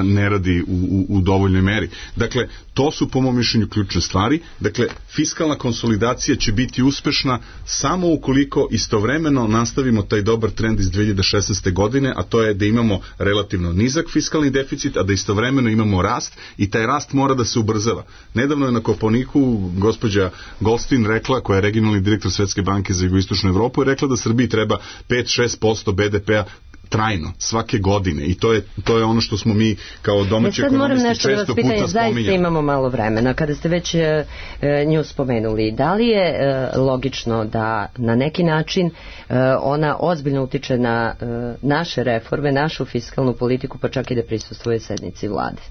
ne radi u, u, u dovoljnoj meri. Dakle, to su po mom mišljenju ključne stvari. Dakle, fiskalna konsolidacija će biti uspešna samo ukoliko istovremeno nastavimo taj dobar trend iz dve hiljade šesnaeste. godine, a to je da imamo relativno nizak fiskalni deficit, a da istovremeno imamo rast, i taj rast mora da se ubrzava. Nedavno je na Kopaoniku gospođa Goldstein rekla, koja je regionalni direktor Svetske banke za jugoistočnu Evropu, je rekla da Srbiji treba pet do šest posto be de pe-a trajno, svake godine, i to je, to je ono što smo mi kao domaći ekonomisti često puta spominjali. Zaista imamo malo vremena. Kada ste već e, nju spomenuli, da li je e, logično da na neki način e, ona ozbiljno utiče na e, naše reforme, našu fiskalnu politiku, pa čak i da prisustvuje sednici vlade?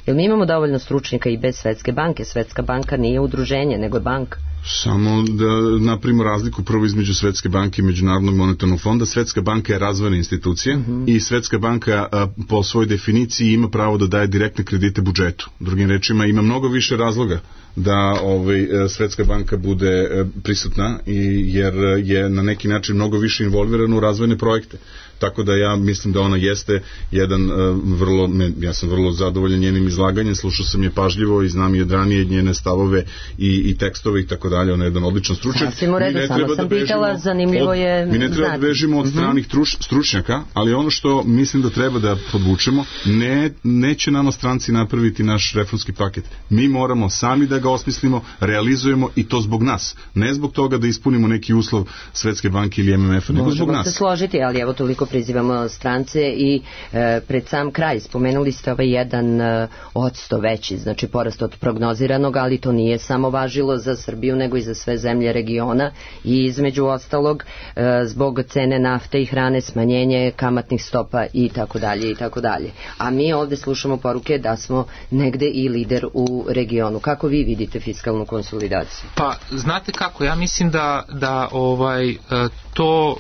Jer mi imamo dovoljno stručnjaka i bez Svetske banke. Svetska banka nije udruženje, nego je banka. Samo da napravimo razliku prvo između Svetske banke i Međunarodnog monetarnog fonda. Svetska banka je razvojna institucija, mm-hmm. i Svetska banka a, po svojoj definiciji ima pravo da daje direktne kredite budžetu. Drugim rečima, ima mnogo više razloga da ovaj, Svetska banka bude prisutna, i jer je na neki način mnogo više involvirana u razvojne projekte. Tako da ja mislim da ona jeste jedan uh, vrlo, ja sam vrlo zadovoljan njenim izlaganjem, slušao sam je pažljivo i znam i od ranije njene stavove i, i tekstove i tako dalje. Ona je jedan odličan stručnjak. Sasvim u redu, samo sam pitala, zanimljivo od, je... Mi ne treba da bežimo od stranih truš, stručnjaka, ali ono što mislim da treba da podvučemo, ne, neće nama stranci napraviti naš reformski paket. Mi moramo sami da ga osmislimo, realizujemo, i to zbog nas. Ne zbog toga da ispunimo neki uslov Svetske banke ili em em ef-a, nego zbog nas. Možemo se složiti, ali evo toliko prizivamo strance i e, pred sam kraj spomenuli ste ovaj jedan e, odsto veći, znači porast od prognoziranog, ali to nije samo važilo za Srbiju, nego i za sve zemlje regiona, i između ostalog e, zbog cene nafte i hrane, smanjenje kamatnih stopa i tako dalje i tako dalje. A mi ovde slušamo poruke da smo negde i lider u regionu. Kako vi vidite fiskalnu konsolidaciju? Pa, znate kako, ja mislim da, da ovaj, to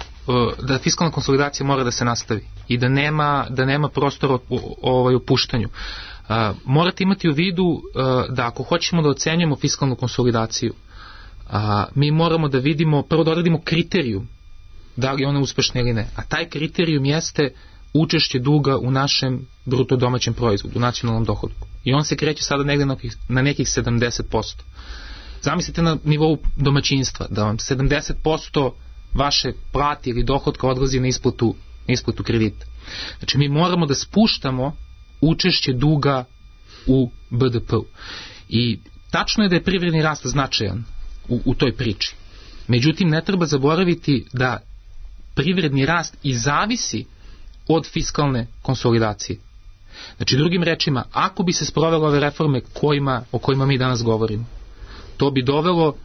da fiskalna konsolidacija mora da se nastavi i da nema, da nema prostora ovaj, u puštanju. Uh, morate imati u vidu uh, da ako hoćemo da ocenjujemo fiskalnu konsolidaciju, uh, mi moramo da vidimo, prvo da odredimo kriterijum da li je ona uspešna ili ne, a taj kriterijum jeste učešće duga u našem bruto domaćem proizvodu, u nacionalnom dohodku, i on se kreće sada negde na, na nekih sedamdeset posto. Zamislite na nivou domaćinstva da vam sedamdeset posto vaše plati ili dohodka odlazi na isplatu, na isplatu kredita. Znači mi moramo da spuštamo učešće duga u be de pe-u. I tačno je da je privredni rast značajan u, u toj priči. Međutim, ne treba zaboraviti da privredni rast i zavisi od fiskalne konsolidacije. Znači, drugim rečima, ako bi se sprovele ove reforme kojima, o kojima mi danas govorimo, to bi dovelo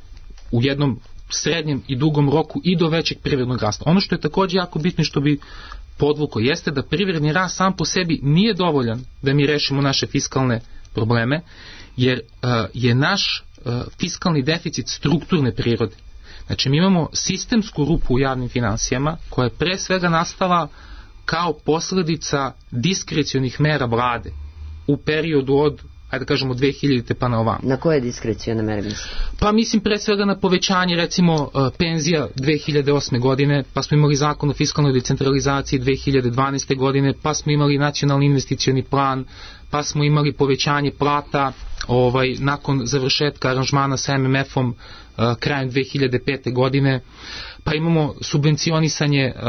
u jednom srednjem i dugom roku i do većeg privrednog rasta. Ono što je također jako bitno i što bi podvuko jeste da privredni rast sam po sebi nije dovoljan da mi rešimo naše fiskalne probleme, jer uh, je naš uh, fiskalni deficit strukturne prirode. Znači, mi imamo sistemsku rupu u javnim finansijama koja je pre svega nastala kao posledica diskrecionih mera vlade u periodu od, ajde da kažemo, dve hiljadite pa na ovamo. Na koje diskrecione mere mislim? Pa mislim pre svega na povećanje recimo penzija dve hiljade osme godine, pa smo imali zakon o fiskalnoj decentralizaciji dve hiljade dvanaeste godine, pa smo imali nacionalni investicioni plan, pa smo imali povećanje plata ovaj, nakon završetka aranžmana sa em em efom uh, krajem dve hiljade pete godine, pa imamo subvencionisanje uh,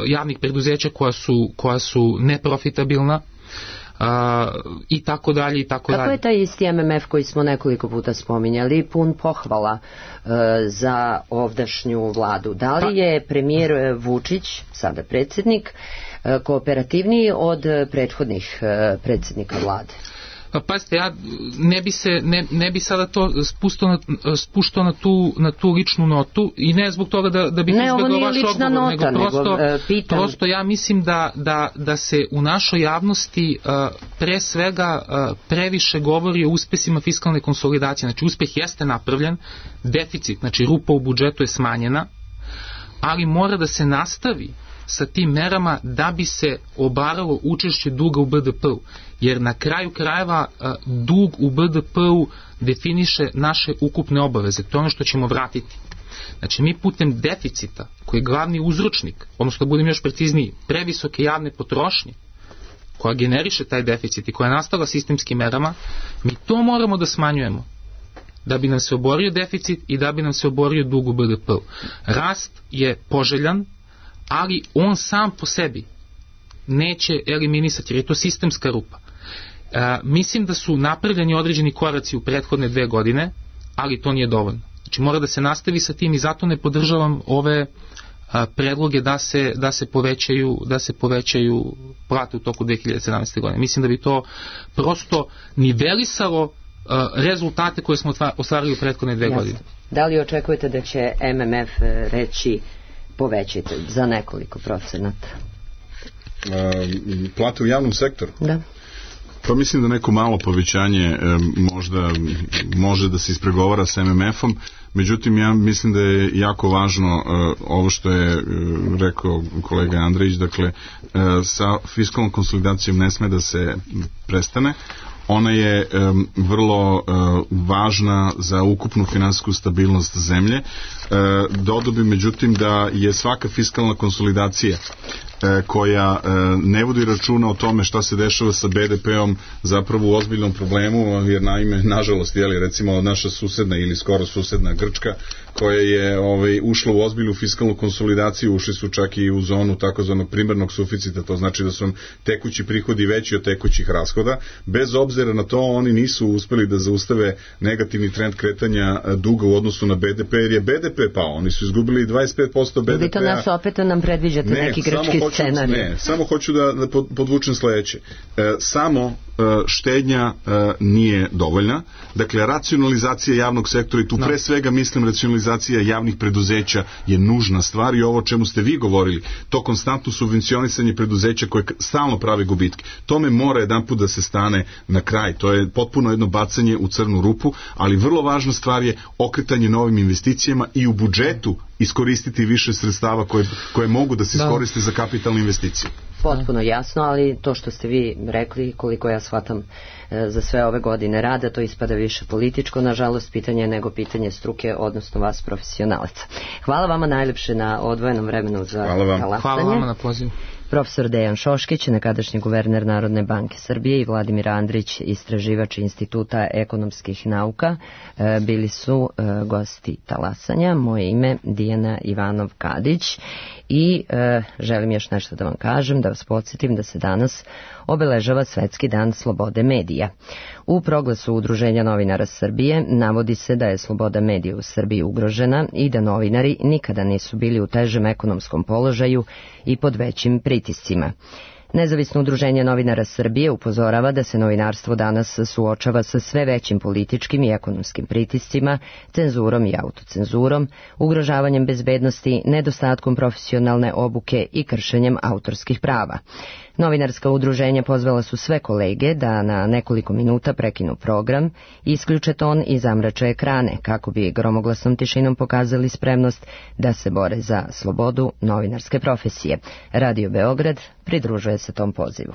javnih preduzeća koja su, koja su neprofitabilna, Uh, i tako dalje i tako dalje. Kako je taj isti em em ef koji smo nekoliko puta spominjali pun pohvala uh, za ovdašnju vladu? Da li je premijer Vučić, sada predsjednik, uh, kooperativniji od prethodnih uh, predsjednika vlade? Pa pazite, ja ne bi se ne, ne bi sada to spuštao na, spuštao na tu na tu ličnu notu i ne zbog toga da da bih izbegao vaš odgovor, nota, nego prosto nego, uh, prosto ja mislim da da da se u našoj javnosti uh, pre svega uh, previše govori o uspesima fiskalne konsolidacije. Znači, uspeh jeste napravljen, deficit, znači rupa u budžetu je smanjena, ali mora da se nastavi sa tim merama da bi se obaralo učešće duga u be de pe-u. Jer na kraju krajeva dug u be de pe-u definiše naše ukupne obaveze. To je ono što ćemo vratiti. Znači, mi putem deficita, koji je glavni uzročnik, odnosno da budem još precizniji, previsoke javne potrošnje, koja generiše taj deficit i koja je nastala sistemskim merama, mi to moramo da smanjujemo. Da bi nam se oborio deficit i da bi nam se oborio dug u be de pe-u. Rast je poželjan, ali on sam po sebi neće eliminisati, jer je to sistemska rupa. E, mislim da su napravljeni određeni koraci u prethodne dve godine, ali to nije dovoljno. Znači, mora da se nastavi sa tim i zato ne podržavam ove a, predloge da se, da se povećaju da se povećaju plate u toku dve hiljade sedamnaeste. godine. Mislim da bi to prosto nivelisalo a, rezultate koje smo ostvarili u prethodne dve Jasne. godine. Da li očekujete da će em em ef reći povećite za nekoliko procenata? Uh, plate u javnom sektoru? Da. Pa mislim da neko malo povećanje e, možda može da se ispregovara sa em em efom, međutim ja mislim da je jako važno e, ovo što je e, rekao kolega Andrejić, dakle e, sa fiskalnom konsolidacijom ne sme da se prestane. Ona je um, vrlo uh, važna za ukupnu finansijsku stabilnost zemlje. Uh, dodao bi međutim da je svaka fiskalna konsolidacija uh, koja uh, ne vodi računa o tome šta se dešava sa be de pe-om zapravo u ozbiljnom problemu, jer naime, nažalost, jeli, recimo naša susedna ili skoro susedna Grčka, koja je ovaj, ušla u ozbiljnu fiskalnu konsolidaciju, ušli su čak i u zonu takozvanog primarnog suficita, to znači da su vam tekući prihodi veći od tekućih rashoda. Bez obzira na to, oni nisu uspeli da zaustave negativni trend kretanja duga u odnosu na be de pe, jer je be de pe pao, oni su izgubili dvadeset pet posto be de pe-a. Vi to nas opet nam predviđate ne, neki grčki hoću, scenarij. Ne, samo hoću da, da podvučem sledeće. E, samo štednja nije dovoljna. Dakle, racionalizacija javnog sektora i tu pre svega mislim racionalizacija javnih preduzeća je nužna stvar i ovo o čemu ste vi govorili, to konstantno subvencionisanje preduzeća koje stalno pravi gubitke. Tome mora jedanput da se stane na kraj. To je potpuno jedno bacanje u crnu rupu, ali vrlo važna stvar je okretanje novim investicijama i u budžetu iskoristiti više sredstava koje, koje mogu da se iskoriste za kapitalne investicije. Potpuno jasno, ali to što ste vi rekli, koliko ja shvatam e, za sve ove godine rada, to ispada više političko, nažalost, pitanje nego pitanje struke, odnosno vas profesionalaca. Hvala vama najljepše na odvojenom vremenu za talasanje. Hvala vama na pozivu. Profesor Dejan Šoškić, nekadašnji guverner Narodne banke Srbije, i Vladimir Andrić, istraživač Instituta ekonomskih nauka, e, bili su e, gosti talasanja. Moje ime Dijana Ivanov-Kadić i e, želim još nešto da vam kažem, da vas podsjetim da se danas obeležava Svetski dan slobode medija. U proglasu Udruženja novinara Srbije navodi se da je sloboda medija u Srbiji ugrožena i da novinari nikada nisu bili u težem ekonomskom položaju i pod većim pritiscima. Nezavisno udruženje novinara Srbije upozorava da se novinarstvo danas suočava sa sve većim političkim i ekonomskim pritiscima, cenzurom i autocenzurom, ugrožavanjem bezbednosti, nedostatkom profesionalne obuke i kršenjem autorskih prava. Novinarska udruženja pozvala su sve kolege da na nekoliko minuta prekinu program, isključe ton i zamrače ekrane kako bi gromoglasnom tišinom pokazali spremnost da se bore za slobodu novinarske profesije. Radio Beograd pridružuje se tom pozivu.